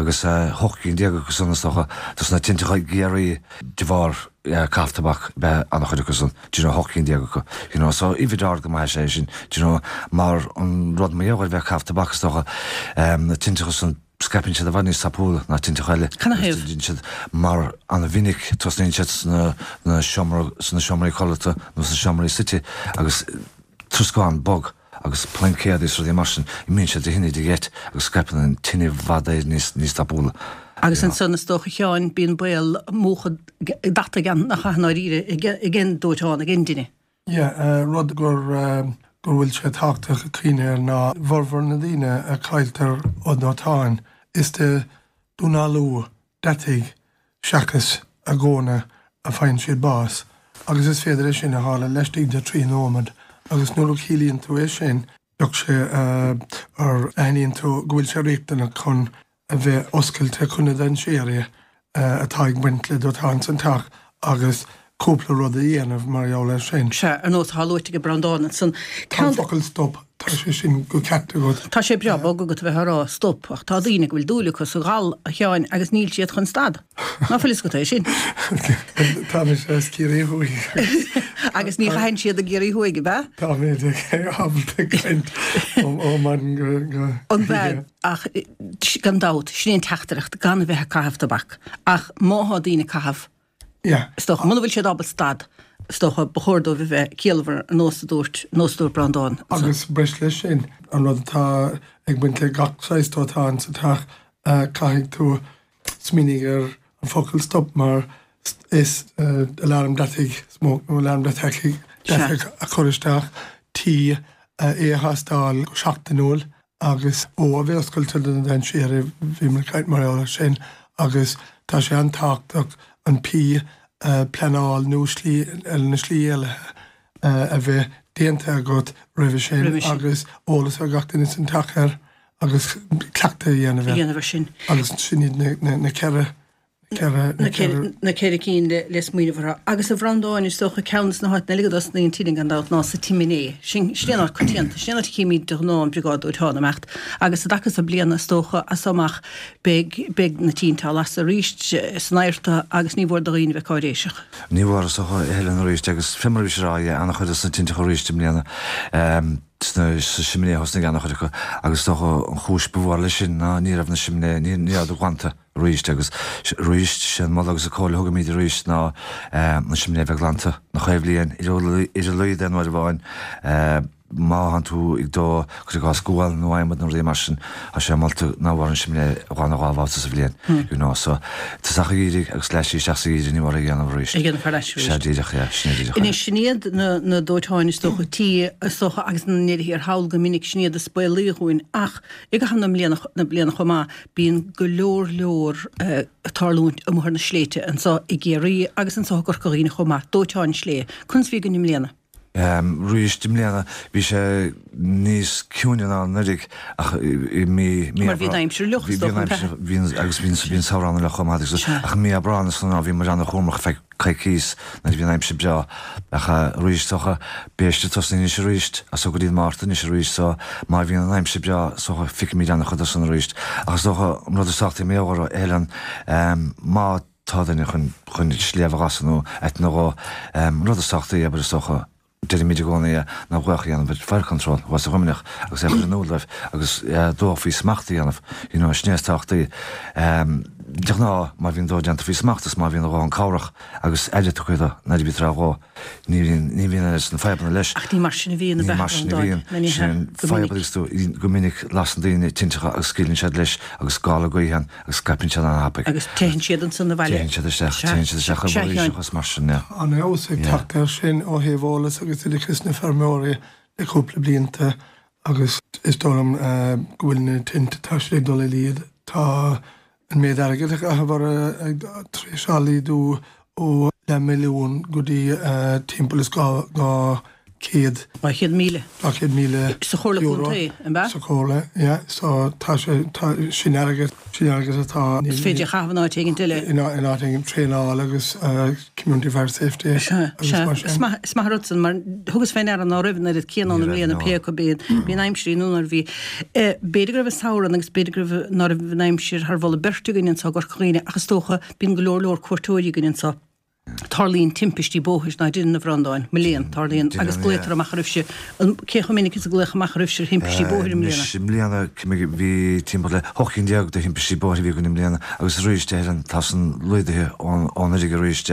agus hocht gcinn déag acu san is dócha dos na tinteacha i gCiarraí de bharr caitheamh tobac ab ea an-chuid acu san, do you know, hocht gcinn déag acu, you know, so uimhir ard go maith is ea é sin, do you know, mar an rud mar gheall ar bheith ag caitheamh tobac is dócha, na tinteacha san, scaipeann siad i bhfad níos tapúla ná tinteacha eile. Canathaobh? Déanann siad mar an-mhinic tosnaíonn siad sna na seomra sna seomraí codlata nó sna seomraí suite agus troscán bog agus plaincéadaí is rudaí mar sin, imíonn siad de thine de gheit agus scaipeann an tine i bhfad éireann níos níos tapúla. Agus ansan is dócha a Sheáin, bíonn baol múchadh deataigh ann nach ea i ndáiríre ag an dóiteán, ag an dtine. Yeah, rud gur go bhfuil sé tábhachtach a chuimhneamh air ná formhór na daoine a chailltear ó dóiteáin, is de dúnalú deataigh seachas a dhónna a faigheann siad bás, agus is féidir é sin a tharla laistigh de trí nóiméad, agus nuair a chiallaíonn tú é sin, bheadh sé ar aithníonn tú go bhfuil sé riachtanach chun a bheith oscailte chun na dainséirí atá ag baint le dóiteán san teach agus cúpla rud a dhéanamh mar gheall air sin. Sea, ar nós atá luaite ag Breandán ansan. Tá an focal stop, tá sé sin go ceart agat. Tá sé breá bog agat a bheith á rá stop, ach tá daoine go bhfuil dúil acu sa ghal, a Sheáin, agus níl siad chun stad. Ná fuil fhios agat é sin? Tá mise as Ciarraí Thuaidh. Agus ní chaitheann siad i gCiarraí Thuaidh, ab ea? Tá mé ábalta caint ó maidin go An oíche. Ach gan dabht, sin é an teachtaireacht, gan a bheith ag caitheamh tobac. Ach má thá daoine ag caitheamh, is dócha, muna bhfuil siad ábalta stad, is dócha, ba chóir dóibh a bheith ciallmhar, ar nós a dúirt, nós a dúirt Breandán ansan. Agus breis leis sin, an rud atá ag baint le gach saghas dóiteáin sa teach, caithfidh tú smaoinigh ar an focal stop mar is alarm deataigh, smoke nó alarm deataigh a chur isteach, T, é a thástáil go seachtainiúil, agus O a bheith oscailte do na dainséir, bhíomar ag caint mar gheall air sin, agus tá sé an-tábhachtach an P, pleanáil nó slí, na slí éalaithe a bheith déanta agat roimhe sin agus eolas ar gach duine san teach air agus cleachtadh a dhéanamh air. dhéanamh air sin. Agus sin iad na ceithre ceithre, na ceithre. Na ceithre cinn le smaoineamh orthu. Agus a Bhreandáin, is dócha, ceann de na háiteanna eile go dtosnaíonn tine gan dabht ná sa tsiminé. Sin, sin é an áit coitianta, sin é an áit a chímid de ghnáth an briogáid dóiteáin ag imeacht. Agus i dtaca so bliana, is dócha, as so amach beidh, beidh na tinte á lasadh arís san adharta agus ní mhór do dhaoine bheith cáiréiseach. Ní mhór, is dócha, a Helen arís agus fé mar a bhí sé a rá, yeah, an-chuid de na tinteacha arís i mbliana. Sna, sa simné a thosnaigh an-chuid acu agus is dócha an chúis ba mhór leis sin ná ní raibh na simné, ní, ní rabhadar glanta arís agus arís, sé an moladh agus an comhairle a thugaimid arís ná na simné a bheith glanta na chaon bhliain, ar a laghad aon uair amháin. Má thánn tú ag dó, cuir i gcás gual nó adhmad nó rudaí mar sin, tá sé molta nach mór an simné a ghlanadh dhá bhabhta sa bhliain, you know, so tosach an gheimhridh agus leath isteach sa gheimhreadh ní mór é a dhéanamh arís. A dhéanamh thar ais arís. Sea, díreach, yeah, sin é díreach é. Anois, sin iad na, na dóiteáin is dócha tí, is dócha, agus na ndeireadh thiar thall go minic, sin iad is baolaí dhúinn ach i gcaitheamh na mbliana, na bliana chomh maith, bíonn go leor leor ag tarlúint amuigh ar na sléibhte anso i gCiarraí agus anso i gCorca Dhuibhne chomh maith, dóiteáin sléibhe. Conas a bhí againn i mbliana? Arís i mbliana bhí sé níos ciúine ná anuraidh ach i mí Mar bhí an aimsir fhliuch is dócha, an ea? Bhí agus bhí an samhradh an-fhliuch chomh maith agus ach i mí Aibreán is ná bhí muid an-chúramach ar feadh coicís nuair a bhí an aimsir breá ach arís is dócha beidh sé ag tosnú anois arís as so go dtí an Márta anois arís so má bhíonn an aimsir breá is dócha feicfimid an-chuid de san arís ach is dócha an rud is tábhachtaí mar gheall air a Helen má tá duine chun chun sléibhe a ghasadh nó áit nó dhó. An rud is tábhachtaí, abair, is dócha, deirimid i gcónaí é, ná glaoch a dhéanamh ar Fire Control thuas i Luimneach agus é a chur in iúl dóibh agus dódh faoi smacht a dhéanamh, you know, sin é is tábhachtaí. De ghnáth, má bhíonn dó déanta faoi smacht is má bhíonn a dhóthain cabhrach agus aire tugtha dó nuair a bhítear á dhó, ní bhíonn, ní bhíonn oiread sin fadhbanna leis. Ach ní mar sin a bhíonn, Ní mar sin a bhíonn. Sin an fadhb agus tú, go minic lasann daoine tinteacha agus scaoileann siad leis agus gála gaoithe ann agus scaipeann siad an-thapaidh. Agus téann siad ansan abhaile. Téann siad isteach, téann siad isteach i bhforaoiseacha is mar sin, yeah. An-fheabhas ag teacht air sin ó thaobh eolas agus oideachas na feirmeoirí le cúpla blianta agus is dóigh liom go bhfuil na tinte, tá siad ag dul i laghad. Tá an méid airgid a chaitheamh orthu tar éis laghdú ó leath milliún go dtí timpeall is dhá chéad. Dhá chéad míle. Dhá chéad míle Sa Chomhairle euro. Contae, an ea? Sa Chomhairle, yeah. So tá sé, tá, sin airgead, sin airgead atá. Is féidir a chaitheamh in áit éigin eile. In áit éigin, traenáil agus community fire safety Sea, agus sea. mar sin. Is maith, is maith an rud san, mar thugas fé ndeara ná raibh an oiread céanna ann i mbliana, pé acu bhí, bhí an aimsir í nó nuair a bhí. B'fhéidir go raibh an samhradh ann agus b'fhéidir go raibh, ná raibh an aimsir thar mholadh beirte againn anso i gCorca Dhuibhne ach is dócha, bíonn go leor leor cuairteoirí againn anso. Tarlaíonn timpistí bóthair, ná deineann, a Bhreandáin? Mo léan, tarlaíonn, agus glaotar amach oraibhse. Cé chomh minic is a glaodh amach oraibhse ar thimpistí bóthair i mbliana? Anois, i mbliana, bhí timpeall le hocht gcinn déag de thimpistí bóthair a bhí againn i mbliana agus arís, a Helen, tá san laghdaithe ó anuraidh arís,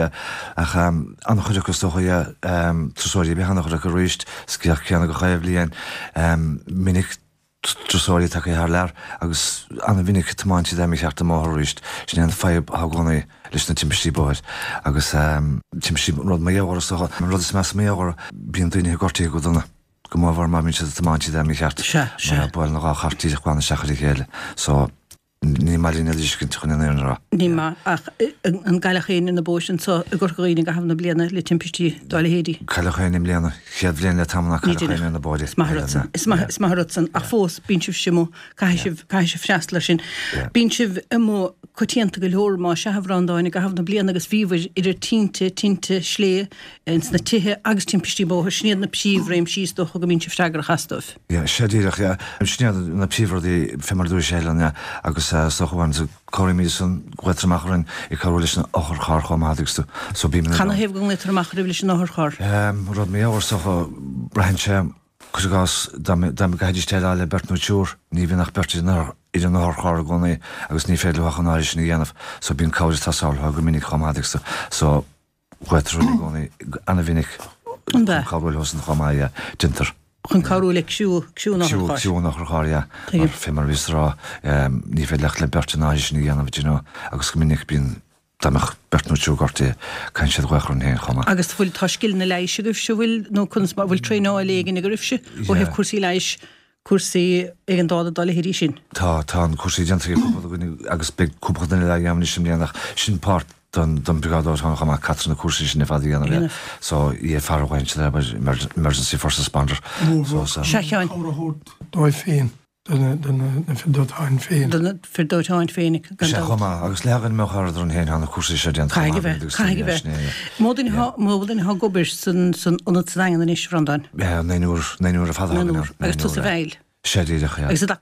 ach an-chuid acu is dócha, yeah, turasóirí ab ea an-chuid acu arís, scéal céanna gach aon bhliain, minic. turasóirí tagtha thar lear agus an-mhinic tiomáint siad mícheart an mbóthar arís. Sin é an fadhb atá i gcónaí leis na timpistí bóthair agus timpistí, rud mar gheall air is dócha, an rud is measa mar gheall air, bíonn daoine gortaithe go dona, go mórmhór má bhíonn siad ag tiomáint iad mícheart, mar buaileann dhá charr díreach glan isteach ar a chéile. So. Ní maith linn a fheiscint chun an fhírinne a rá. Ní maith, ach an gcailleadh éinne ar na bóithre anso i gCorca Dhuibhne i gcaitheamh na bliana le timpistí dá leithéidí? Cailleadh éinne i mbliana. Chéad bhliain le tamall nár Ní cailleadh éinne ar na bóithre. Is maith an rud san. Is maith, is maith an rud san. Ach fós, bíonn sibhse amuigh, caithfidh sibh, caithfidh sibh freastal air sin. Bíonn sibh amuigh coitianta go leor, más ea, a Bhreandáin, i gcaitheamh na bliana agus bhíobhair idir tinte, tinte sléibhe ins na tithe agus timpistí bóthair. Sin iad na príomhréimsí is dócha go mbíonn sibh freagrach astu. Yeah, sea díreach, yeah. Sin iad na príomhrudaí fé mar a dúirt Helen, yeah, agus is dócha uaireanta cabhraímid san, glaotar amach orainn ag cabhrú leis an otharcharr chomh maith agus tú, so bímid in Cad ann. 'na thaobh go nglaotar amach oraibh leis an otharcharr? Ehm, rud mar gheall air is dócha, braitheann sé, cuir i gcás, dá dá gcaithfidís déileáil le beirt nó triúr, ní bhíonn ach beirt ar an ar an otharcharr i gcónaí agus ní féidir leo ach an áirithe sin a dhéanamh, so bíonn cabhair ag teastáil uathu go minic chomh maith agus tú, so, Glaotar orainn i gcónaí an-mhinic chun cabhrú leosan chomh maith, yeah, déantar. Chun cabhrú le criú, criú an otharchairr. Criú an otharchairr, yeah. Mar, fé mar a bhíos ag rá, ní féidir ach le beirt an áirithe sin a dhéanamh, do you know, agus go minic bíonn, dá mbeadh beirt nó triúr gortaithe, caitheann siad glaoch orainn féin chomh maith. Agus bhfuil, tá scileanna leighis agaibhse, bhfuil, nó conas mar, bhfuil traenáil éigin agaibhse ó thaobh cúrsaí leighis? cúrsaí éigeandála dá leithéidí sin. Tá, tá an cúrsaí déanta ag cúpla duine agus beidh cúpla duine le dhéanamh anois i mbliana ach sin páirt don don briogáid dóiteáin chomh maith, caithfear na cúrsaí sin ar fad a dhéanamh, yeah. So, EFR a ghlaonn siad air, Emergency First Responder. So, Sea, a Sheáin. Cabhair a thabhairt dóibh féin. do na fir dóiteáin féin. Do na fir dóiteáin féin, gan Sea, dabht. chomh maith, agus le haghaidh mbeadh ard orainn féin, tá na cúrsaí seo déanta chomh Caithfidh a maith bheith, agus caithfidh a sin bheith. é, yeah. Mó duine thá, mó duine thá ag obair san, san ionad sa Daingean anois, a Bhreandáin? Yeah, naonúr, naonúr ar fad atá againn Naonúr, ann, agus tusa naonúr, yeah. bhfeighil. Sea, díreach, yeah. Agus a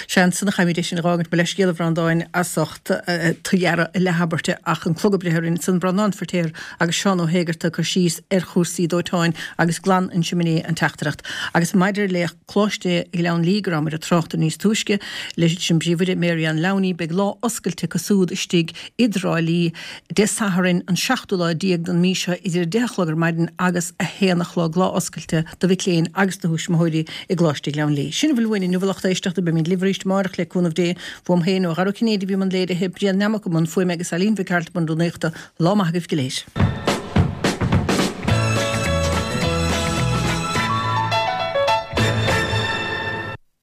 Sea, ansan a chaithfimid é sin a dh'fhágaint, mo leithscéal a Bhreandáin as ucht tu dhearadh a leathabairte ach an clog ag breith orainn, san Breandán Feirtéar agus Seán Ó hÉigeartaigh ag cur síos ar chúrsaí dóiteáin agus glan an simné an teachtaireacht. Agus maidir le Coláiste Ghleann Lí go rabhamar ag trácht air níos túisce leis an bPríomhoide Mary Ann Lowney, beidh lá oscailte acu súd istigh i dTrá Lí Dé Sathairn an seachtú lá déag den mí seo idir a deich a chlog ar maidin agus a haon a chlog, lá oscailte do mhic léinn agus do thuismitheoirí i gColáiste Ghleann Lí. Sin a bhfuil uainn inniu a lucht éisteachta, beimid libh arís amárach le cúnamh Dé. Uaim féin, ó Dhara Ó Cinnéide a bhí i mbun léirithe, Brian Nammock i mbun fuaime agus Eileen Mhic Gearailt i mbun rúnaíochta. Lá maith agaibh go léir.